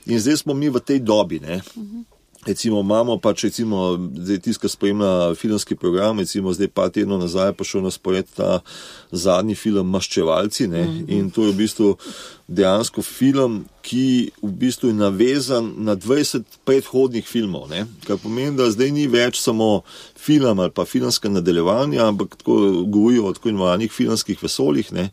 In zdaj smo mi v tej dobi, ne. Uh-huh. Recimo imamo pač recimo, zdaj tiska spremlja filmski program, recimo zdaj par tednov nazaj pa šel na spored ta zadnji film Maščevalci, ne, mm-hmm. in to je v bistvu dejansko film, ki v bistvu je navezan na dvajset predhodnih filmov, ne, kar pomeni, da zdaj ni več samo film ali pa filmska nadaljevanja, ampak tako govorijo o tako imenovanih filmskih vesoljih, ne,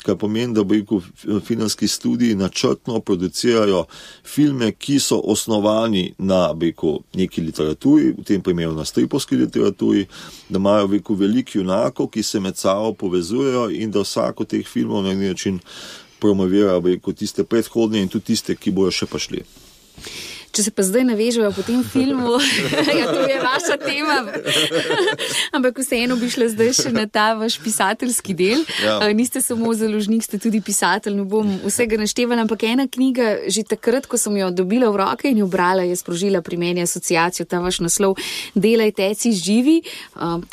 kar pomeni, da bo filmski studiji načrtno producirajo filme, ki so osnovani na rekel, neki literaturi, v tem primeru na stripovski literaturi, da imajo rekel, veliko junakov, ki se med sabo povezujejo in da vsako teh filmov na neki način promovira rekel, tiste predhodne in tudi tiste, ki bojo še prišli. Če se pa zdaj navežejo po tem filmu, ja, to je vaša tema, ampak vseeno bi šla zdaj še na ta vaš pisateljski del. Ja. Niste samo založnik, ste tudi pisatelj, ne bom vsega naštevala, ampak ena knjiga, že takrat, ko sem jo dobila v roke in jo brala, je sprožila pri meni asociacijo, ta vaš naslov Delaj, teci, živi.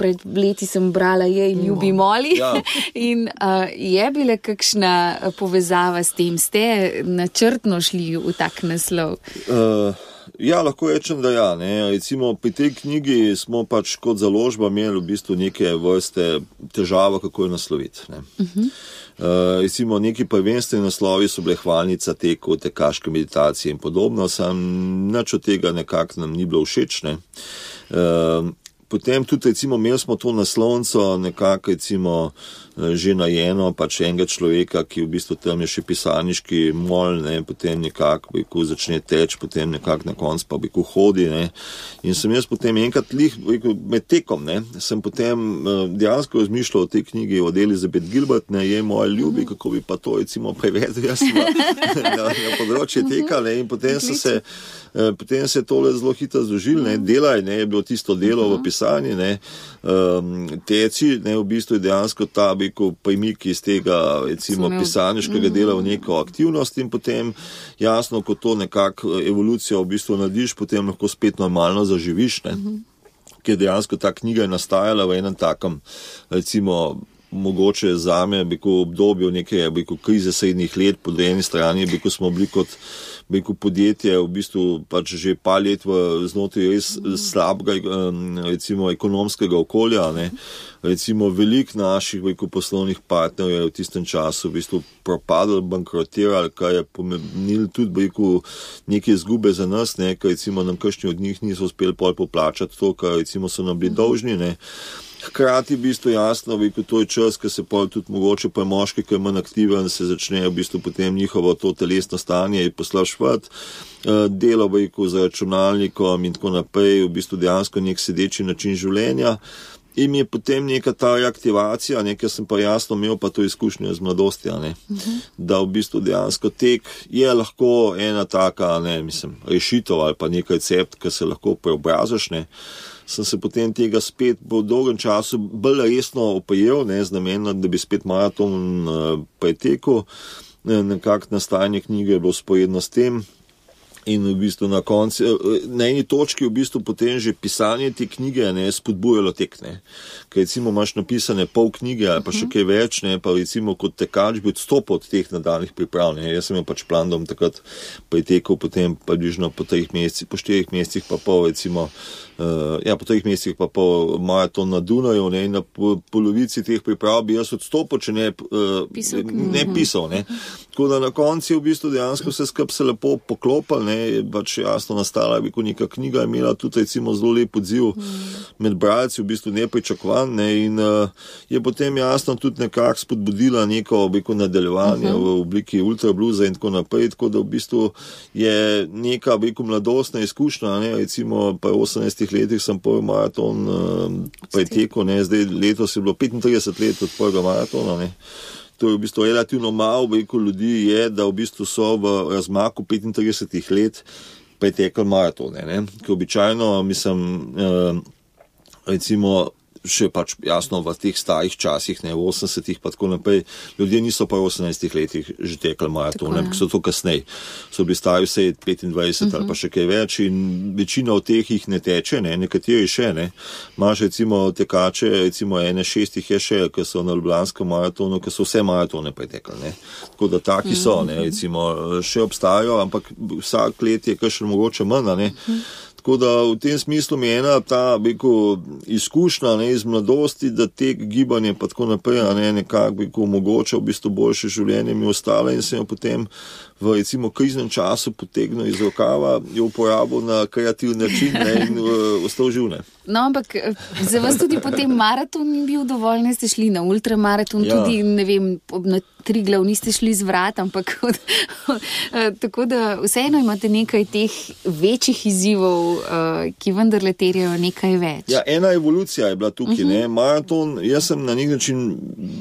Pred leti sem brala Je ljubi moli. Ja. In je bila kakšna povezava s tem? Ste načrtno šli v tak naslov? Uh. Ja, lahko rečem, da ja, ne. Recimo pri tej knjigi smo pač kot založba imeli v bistvu neke vrste težava, kako jo nasloviti, ne. Uh-huh. Uh, recimo neki prvenstveni naslovi so bile hvalnica teku, tekaške meditacije in podobno, sam nič od tega nekako nam ni bilo všeč, ne. Uh, Potem tudi, recimo, imeli smo to naslovnico nekako, recimo, že najeno, pač enega človeka, ki v bistvu tam je še pisarniški mol, ne, potem nekako, rekel, začne teč, potem nekako na koncu pa, rekel, hodi, ne. In sem jaz potem enkrat lih, rekel, med tekom, ne, sem potem dejansko razmišljal o tej knjigi od Elizabeth Gilbert, ne, Je moj ljubi, kako bi pa to, recimo, prevedel jaz na, na, na področje teka, ne, in potem sem se Potem se je tole zelo hitro zložil, ne, Delaj, ne, je bilo tisto delo v pisanju, ne, um, teci, ne, v bistvu je dejansko ta, rekel, premik iz tega, recimo, pisarniškega dela v neko aktivnost in potem jasno, ko to nekako evolucijo v bistvu narediš, potem lahko spet normalno zaživiš, ne, ker dejansko ta knjiga je nastajala v enem takem, recimo, mogoče zame, rekel, obdobju neke, rekel, krize srednjih let, po eni strani, rekel, smo bili kot rekel, podjetje v bistvu pač že par let v znotraj res slabega, recimo, ekonomskega okolja, ne. Recimo, veliko naših, rekel, poslovnih partnerjev je v tistem času v bistvu propadlo, bankrotirali, kar je pomenilo tudi, rekel, neke izgube za nas, ne, ker recimo nam kakšni od njih niso uspeli pol poplačati to, kar recimo so nam bili dolžni, ne. Hkrati v bistvu jasno, veliko to je čas, ko se pa tudi mogoče pa moški, ki je manj aktiven, se začne v bistvu potem njihovo to telesno stanje poslabševati, delo veliko za računalnikom in tako naprej, v bistvu dejansko nek sedeči način življenja. In je potem neka ta reaktivacija, nekaj sem pa jasno imel pa to izkušnjo z mladostja, ne? Uh-huh. Da v bistvu dejansko tek je lahko ena taka, ne, mislim, rešitev ali pa nek recept, ki se lahko preobrazaš, ne. Sem se potem tega spet po dolgem času bolj resno oprijel, ne, z namenom, da bi spet maraton uh, pretekel. Nekako nastajanje knjige je bilo sporedno s tem. In v bistvu na koncu, na eni točki v bistvu potem že pisanje te knjige ne, spodbujalo tek, ne. Ker recimo imaš napisane pol knjige ali pa še kaj več, ne, pa recimo kot tekač bi odstopil od teh nadaljnih priprav, ne. Jaz sem imel pač plan, da bom takrat pretekel potem približno po treh mesecih, po štirih mesecih pa pol recimo, uh, ja, po treh mesecih pa pol maraton na Dunaju, ne, in na polovici teh priprav bi jaz odstopil, če ne, uh, pisal, ne pisal, ne. Tako da na koncu v bistvu dejansko vse skupaj se lepo poklopil, ne, je pač jasno nastala, bi ko neka knjiga imela tudi recimo zelo lep odziv med bralci, v bistvu nepričakovan, ne, in uh, je potem jasno tudi nekako spodbudila neko, bi ko nadaljevanje uh-huh. v obliki ultrabluza in tako naprej, tako da v bistvu je neka, bi ko mladostna izkušnja, ne, recimo pa osemnajstih letih sem prvi maraton uh, pretekel, ne, zdaj letos je bilo petintrideset let od prvega maratona, ne. To je v bistvu relativno malo, veliko ljudi je, da v bistvu so v razmaku petintridesetih let pretekli maratone, ne. Ker običajno, mislim, eh, recimo, še pač jasno v teh starih časih, ne, v osemdesetih pa tako naprej, ljudje niso pa v osemnajstih letih že tekli maratone, ampak so to kasneje. So bili stari vse petindvajset uh-huh. ali pa še kaj več in večina od teh jih ne teče, ne, nekateri še, ne. Imaš recimo tekače, recimo ene šestih je še, ki so na Ljubljanskem maratonu, ki so vse maratone pretekli, ne. Tako da taki so, ne, recimo, še obstajajo, ampak vsak let je kakšen mogoče manj, ne. Uh-huh. Tako da v tem smislu mi je ena ta, beko, izkušnja, ne, iz mladosti, da tek gibanje pa tako naprej, ne, nekako, beko, omogoča v bistvu boljše življenje mi ostale in sem jo potem v recimo kriznem času potegnil iz rokava, jo uporabil na kreativni način, ne, in uh, ostal živ, ne. No, ampak za vas tudi potem maraton ni bil dovolj, ne ste šli na ultramaraton, ja. Tudi, ne vem, na Triglav niste šli z vrat, ampak tako da vseeno imate nekaj teh večjih izzivov, ki vendarle terjajo nekaj več. Ja, ena evolucija je bila tukaj, uh-huh. ne, maraton, jaz sem na nek način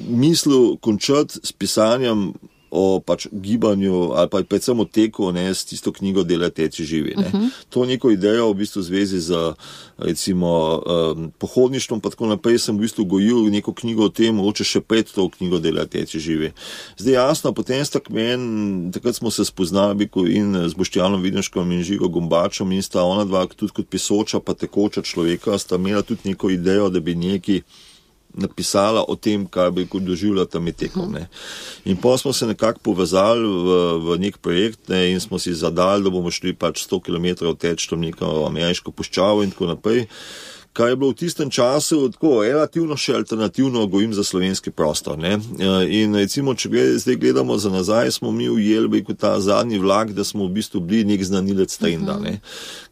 mislil končati s pisanjem o pač gibanju ali pa predvsem o teku, ne, s tisto knjigo Delaj, teci, živi, ne. Uh-huh. To neko idejo v bistvu v zvezi z recimo um, pohodništvom pa tako naprej sem v bistvu gojil neko knjigo o tem, mogoče še pred to knjigo Delaj, teci, živi. Zdaj jasno, potem sta kmen, takrat smo se spoznali in z Boštjanom Videnškom in Žigo Gombačom in sta ona dva tudi kot pisoča pa tekoča človeka, sta imela tudi neko idejo, da bi neki napisala o tem, kaj bi doživljala tam je tekom, ne. In pa smo se nekako povezali v, v nek projekt, ne, in smo si zadali, da bomo šli pač sto kilometrov teč tam neko ameriško puščavo in tako naprej. Kaj je bilo v tistem času tako relativno še alternativno gojim za slovenski prostor, ne. In recimo, če gled, zdaj gledamo za nazaj, smo mi ujeli kot ta zadnji vlak, da smo v bistvu bili nek znanilec trenda, ne.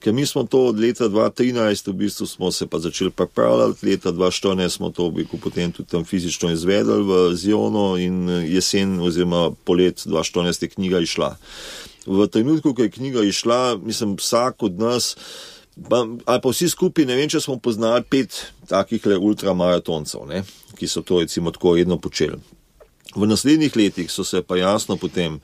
Ker mi smo to od leta dva tisoč trinajst v bistvu smo se pa začeli pripravljati, leta dva tisoč štirinajst smo to v bistvu potem tudi tam fizično izvedeli v Zionu in jesen oziroma polet dva tisoč štirinajst je knjiga išla. V trenutku, ko je knjiga išla, mislim, vsak od nas ali pa vsi skupaj, ne vem, če smo poznali pet takih le ultramaratoncev, ne, ki so to recimo tako redno počeli. V naslednjih letih so se pa jasno potem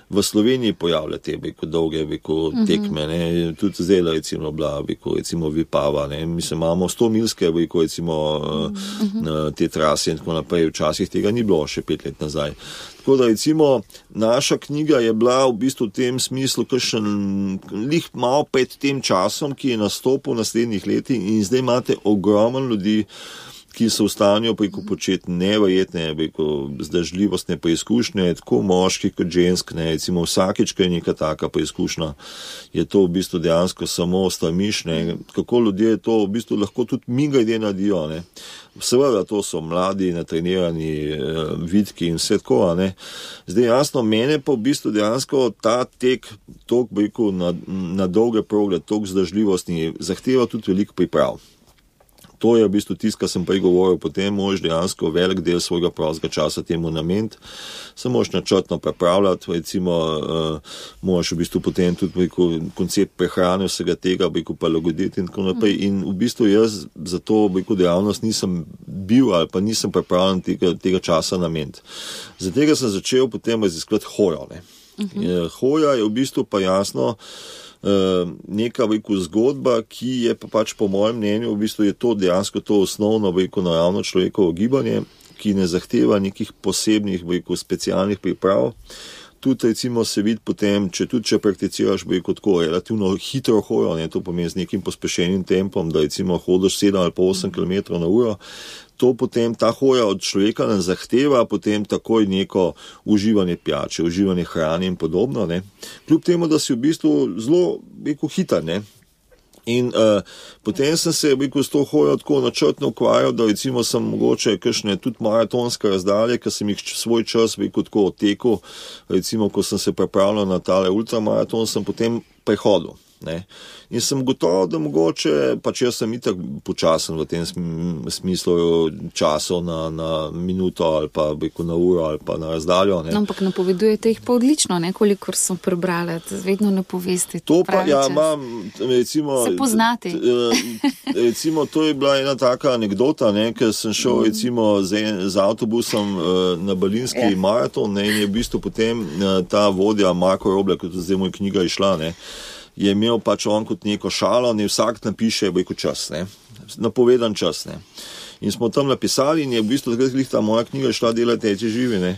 v Sloveniji pojavile te beko dolge beko tekme, ne, tudi zdaj recimo bila beko recimo Vipava, ne, mislim, imamo sto milske beko recimo uh-huh. te trase in tako naprej, včasih tega ni bilo še pet let nazaj. Tako da recimo naša knjiga je bila v bistvu v tem smislu kakšen lih malo pred tem časom, ki je nastopil v naslednjih letih in zdaj imate ogromno ljudi, ki so v stanju preko početi neverjetne, preko zdržljivostne preizkušnje, tako moški kot žensk, ne, recimo vsakič, ko je neka taka preizkušnja, je to v bistvu dejansko samo strmiš, ne, kako ljudje to v bistvu lahko tudi mimogrede naredijo, ne. Seveda, to so mladi, natrenirani, eh, vidki in vse tako, ne. Zdaj jasno, mene pa v bistvu dejansko ta tek, tok, preko na, na dolge progle, tok zdržljivostni, zahteva tudi veliko priprav. To je v bistvu tisto, kar sem prej govoril, potem moraš dejansko velik del svojega prostega časa temu nameniti, se moraš načrtno pripravljati, recimo uh, moraš v bistvu potem tudi veliko, koncept prehrane vsega tega veliko prilagoditi in tako naprej. In v bistvu jaz za to veliko dejavnost nisem bil ali pa nisem pripravljen tega, tega časa nameniti. Za tega sem začel potem raziskovati hojo. Ne. Uh-huh. Hoja je v bistvu pa jasno neka veliko zgodba, ki je pa pač po mojem mnenju, v bistvu je to dejansko to osnovno veliko naravno človekovo gibanje, ki ne zahteva nekih posebnih veliko specialnih priprav. Tudi recimo se vidi potem, če tudi če prakticiraš veliko tako relativno hitro hojo, ne, to pomeni z nekim pospešenim tempom, da recimo hodiš sedem ali pa osem kilometrov na uro, to potem ta hoja od človeka ne zahteva potem takoj neko uživanje pijače, uživanje hrane in podobno, ne. Kljub temu, da si v bistvu zelo veliko hiter, ne. In uh, potem sem se veliko s to hojo tako načrtno ukvarjal, da recimo sem mogoče kakšne tudi maratonske razdalje, ker sem jih svoj čas veliko tako odtekel, recimo ko sem se pripravljal na tale ultramaraton, sem potem prehodil. Ne. In sem gotovo, da mogoče, pač jaz sem itak počasen v tem smislu časov na, na minuto ali pa beko na uro ali pa na razdaljo. Ne. No, ampak napovedujete jih pa odlično, ne, kolikor sem prebrala, vedno ne poveste. To pa, ja, imam, recimo... Se poznate. Recimo, to je bila ena taka anekdota, ne, ker sem šel recimo z, z avtobusom na berlinski yeah. maraton, ne, in je v bistvu potem ta vodja Marko Roblek, kot zdaj moj knjiga išla, ne, je imel pač on kot neko šalo, ne vsak napiše veliko čas, ne, napovedan čas, ne. In smo tam napisali in je v bistvu takrat ta moja knjiga šla delati teči živi, ne.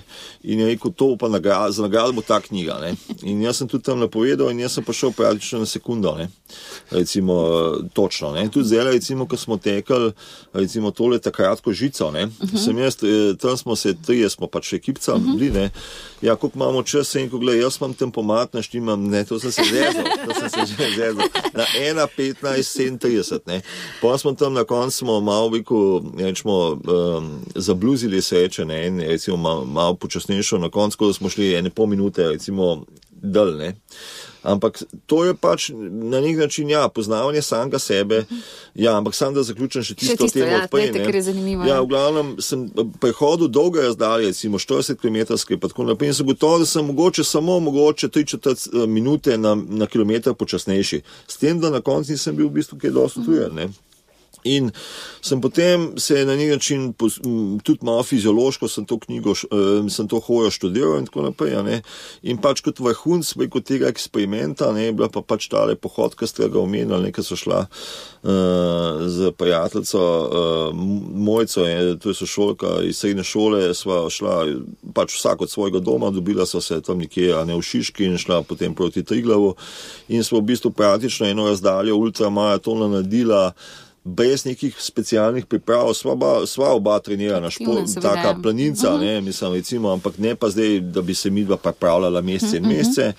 In je rekel, to pa nagrad, za nagrado bo ta knjiga, ne. In jaz sem tudi tam napovedal in jaz sem pa šel praktično na sekundo, ne. Recimo, točno, ne. Tudi zdaj, recimo, ko smo tekali, recimo, tole takratko žico, ne. Uh-huh. Sem jaz, tam smo se, trije smo pač ekipca uh-huh. bili, ne. Ja, koliko imamo čas, in ko gledaj, jaz imam tempomat, naštimam, ne, to sem se zezal, to sem se že zezal, na ena petnajst sedemintrideset, ne. Pa smo tam na koncu smo malo veliko, rečemo, um, zabluzili sreče, ne, in recimo malo, malo počasnejšo na koncu, da smo šli ene pol minute, recimo, dal, ne. Ampak to je pač na nek način, ja, poznavanje samega sebe, ja, ampak sam da zaključim še tisto, tisto temo ja, odprej, ne. Ker je zanimivo. Ja, v glavnem sem prehodil dolge razdalje, recimo štirideset kilometrske, pa tako naprej, in sem gotovo, da sem mogoče samo mogoče tri četrt minute na, na kilometer počasnejši. S tem, da na koncu nisem bil v bistvu kaj dosti tujen, ne. In sem potem se na nek način tudi malo fiziološko sem to knjigo, sem to hojo študiral in tako naprej, ne. In pač kot vrhunc preko tega eksperimenta, ne, je bila pa pač tale pohod, ki ste ga omenili, nekaj so šla uh, z prijateljico uh, Mojco, je, to je sošolka iz srednje šole, sva šla pač vsak od svojega doma, dobila sva se tam nekje, a ne v Šiški in šla potem proti Triglavu in smo v bistvu praktično eno razdaljo ultramaratona naredila brez nekih specialnih priprav, sva, ba, sva oba trenirana, šport, taka planinca, uh-huh. ne, mislim, recimo, ampak ne pa zdaj, da bi se midva pripravljala mesece in mesece.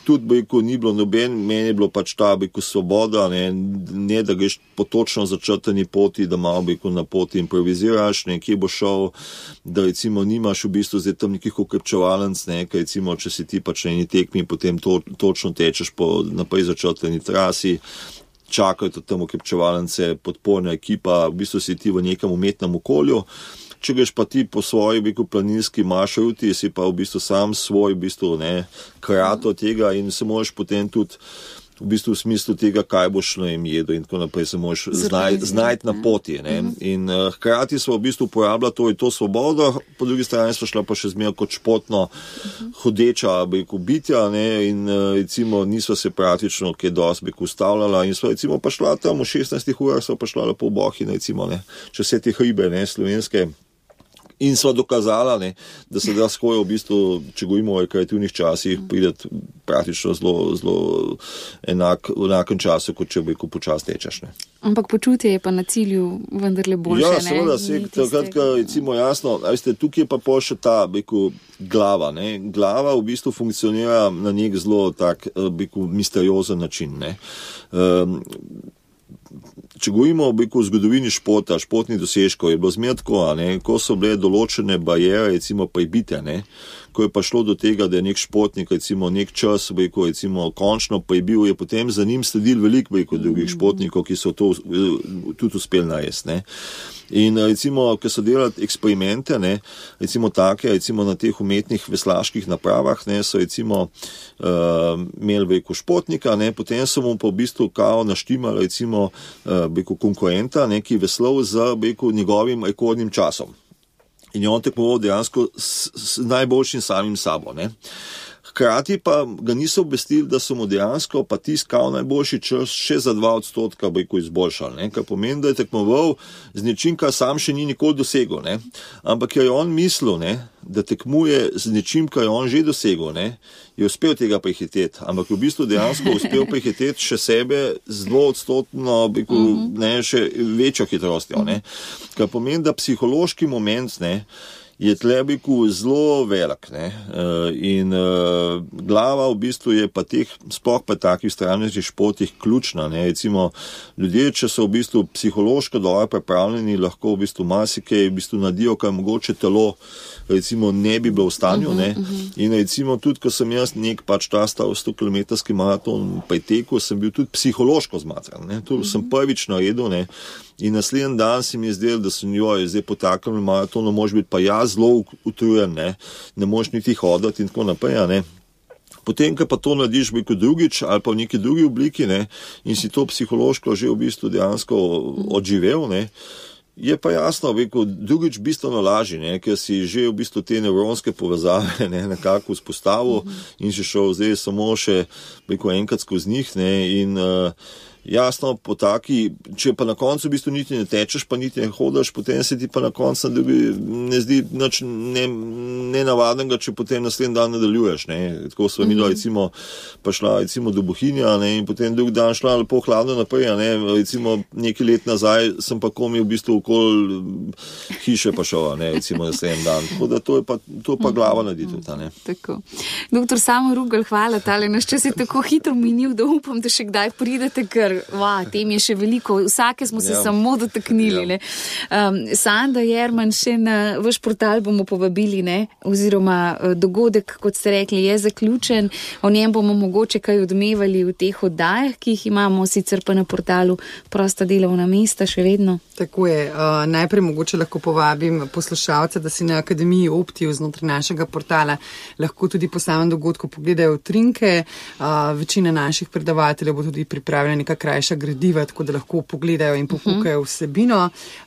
Tudi, bojko, ni bilo noben, meni je bilo pač ta, bojko, svoboda, ne, ne, da greš po točno začrtani poti, da malo, bojko, na poti improviziraš, ne, kje bo šel, da recimo nimaš v bistvu zdaj tam nekih ukrepčevalenc, ne, kaj recimo, če si ti pač na eni tekmi, potem to, točno tečeš po naprej začrtani trasi, čakajo tudi tam ukrepčevalence, podporna ekipa, v bistvu si ti v nekem umetnem okolju. Če greš pa ti po svoji veliko planinski maršruti, si pa v bistvu sam svoj, v bistvu, ne, krato tega in se moraš potem tudi v bistvu v smislu tega, kaj boš na jem jedel in tako naprej se moraš znajti znaj na poti, ne. In uh, hkrati smo v bistvu uporabljali to, to svobodo, po drugi strani smo šla pa še zmeraj kot športno hodeča, beko, bitja, ne, in uh, recimo nisva se praktično kaj dosti beko ustavljala in smo recimo pa šla tam v šestnajstih urah, smo pa šla lepo v Bohinj, recimo, ne, čez vse te hribe, ne, slovenske. In sva dokazala, ne, da se da skojo v bistvu, če govorimo o rekreativnih časih, prideti praktično zelo, zelo enak, v enakem času, kot če beko počas tečeš. Ne. Ampak počutje je pa na cilju vendarle boljše, ja, ne? Ja, seveda, se, takrat, ka, recimo, jasno, veste, tukaj je pa pol še ta, beko, glava, ne. Glava v bistvu funkcionira na nek zelo tak, beko, misteriozen način, ne. Um, če govorimo o zgodovini športa, športnih dosežkov, je bilo zmeraj tako, ne, ko so bile določene bariere, recimo prebite, ne, ko je pa šlo do tega, da je nek športnik, recimo nek čas, bejko, recimo končno prebil, je potem za njim sledil veliko, bejko, drugih športnikov, ki so to tudi uspeli narediti, ne. In recimo, ko so delali eksperimente, ne, recimo take, recimo na teh umetnih veslaških napravah, ne, so recimo uh, imeli veliko športnika, ne, potem so mu pa v bistvu kao naštimali recimo uh, veliko konkurenta, ne, ki veslal z veliko njegovim rekordnim časom. In je on tekmoval dejansko s, s najboljšim samim sabo, ne. Hkrati pa ga niso obvestili, da so mu dejansko pa tiskal najboljši čas še za dva odstotka bojko izboljšal, ne, kar pomeni, da je tekmoval z nečim, kar sam še ni nikoli dosegel, ne, ampak je on mislil, ne, da tekmuje z nečim, kar je on že dosegel, ne, je uspel tega prehiteti, ampak v bistvu dejansko uspel prehiteti še sebe z dvoodstotno, bojko, ne, še večjo hitrostjo, ne, kar pomeni, da psihološki moment, ne, je tlebiku zelo velik, ne, in uh, glava v bistvu je pa teh, sploh pa takih stranskih športih ključna, ne, recimo ljudje, če so v bistvu psihološko dobro pripravljeni, lahko v bistvu marsikaj v bistvu nadijo, kar mogoče telo recimo ne bi bilo v stanju, ne, uh-huh, uh-huh. In recimo tudi, ko sem jaz nek pač ta stav sto kilometrski maraton pretekel, sem bil tudi psihološko zmatran, ne, to uh-huh. sem prvič naredil, ne. In naslednji dan si mi je zdel, da sem joj, zdaj po takem maratonu mož biti pa jaz zelo utrujen, ne, ne moš niti hoditi in tako naprej, ne. Potem, ko pa to narediš v drugič ali pa v neki drugi obliki, ne, in si to psihološko že v bistvu dejansko odživel, ne, je pa jasno, veko, drugič bistveno lažje, ne, ker si že v bistvu te nevronske povezave, ne, nekako vzpostavil in si šel zdaj samo še, veko, enkrat skozi njih, ne, in uh, jasno, po taki, če pa na koncu v bistvu niti ne tečeš, pa niti ne hodaš, potem se ti pa na koncu ne zdi nič ne, nenavadnega, če potem naslednji dan nadaljuješ, ne. Tako sva midva recimo pa šla recimo do Bohinja, ne, in potem drugi dan šla lepo hladno naprej, ne, recimo nekaj let nazaj sem pa komi v bistvu okoli hiše pa šel, ne, recimo naslednji dan. Tako da to je pa, to pa glava naredi tudi, ne. Tako. Doktor Samo Rugl, hvala, tale naš čas je tako hitro minil, da upam, da še kdaj pridete, ker va, tem je še veliko, vsake smo se ja. samo dotaknili, ja. um, Sanda Jerman, še na vaš portal bomo povabili, ne, oziroma dogodek, kot ste rekli, je zaključen, o njem bomo mogoče kaj odmevali v teh oddajah, ki jih imamo, sicer pa na portalu Prosta delovna mesta še vedno. Tako je, uh, najprej mogoče lahko povabim poslušalce, da si na Akademiji Optiju znotraj našega portala lahko tudi po samem dogodku pogledajo utrinke, uh, večina naših predavateljev bo tudi pripravljena neka krajša gradiva, tako da lahko pogledajo in popukajo vsebino.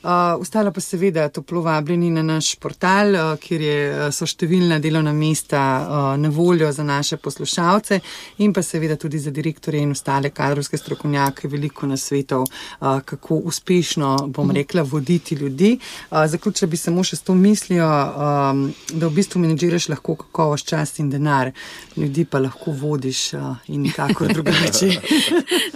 Uh, ostalo pa seveda toplo vabljeni na naš portal, uh, kjer je, so številna delovna mesta uh, na voljo za naše poslušalce in pa seveda tudi za direktorje in ostale kadrovske strokovnjake veliko nasvetov, uh, kako uspešno, bom rekla, voditi ljudi. Uh, zaključila bi samo še s to mislijo, um, da v bistvu menedžiraš lahko kakovost, čas in denar, ljudi pa lahko vodiš uh, in nikakor drugače.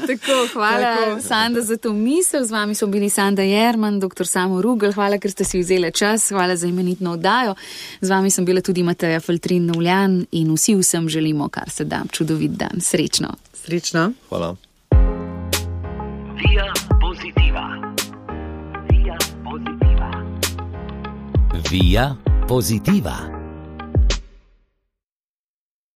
Tako, hvala Tako. Sanda za to misel. Z vami so bili Sanda Jerman, doktor Samo Rugl. Hvala, ker ste si vzeli čas. Hvala za imenitno oddajo. Z vami sem bila tudi Mateja Faltrin-Novljan in vsi vsem želimo, kar se da, čudovit dan. Srečno. Srečno. Hvala. Via Positiva. Via Positiva. Via Positiva.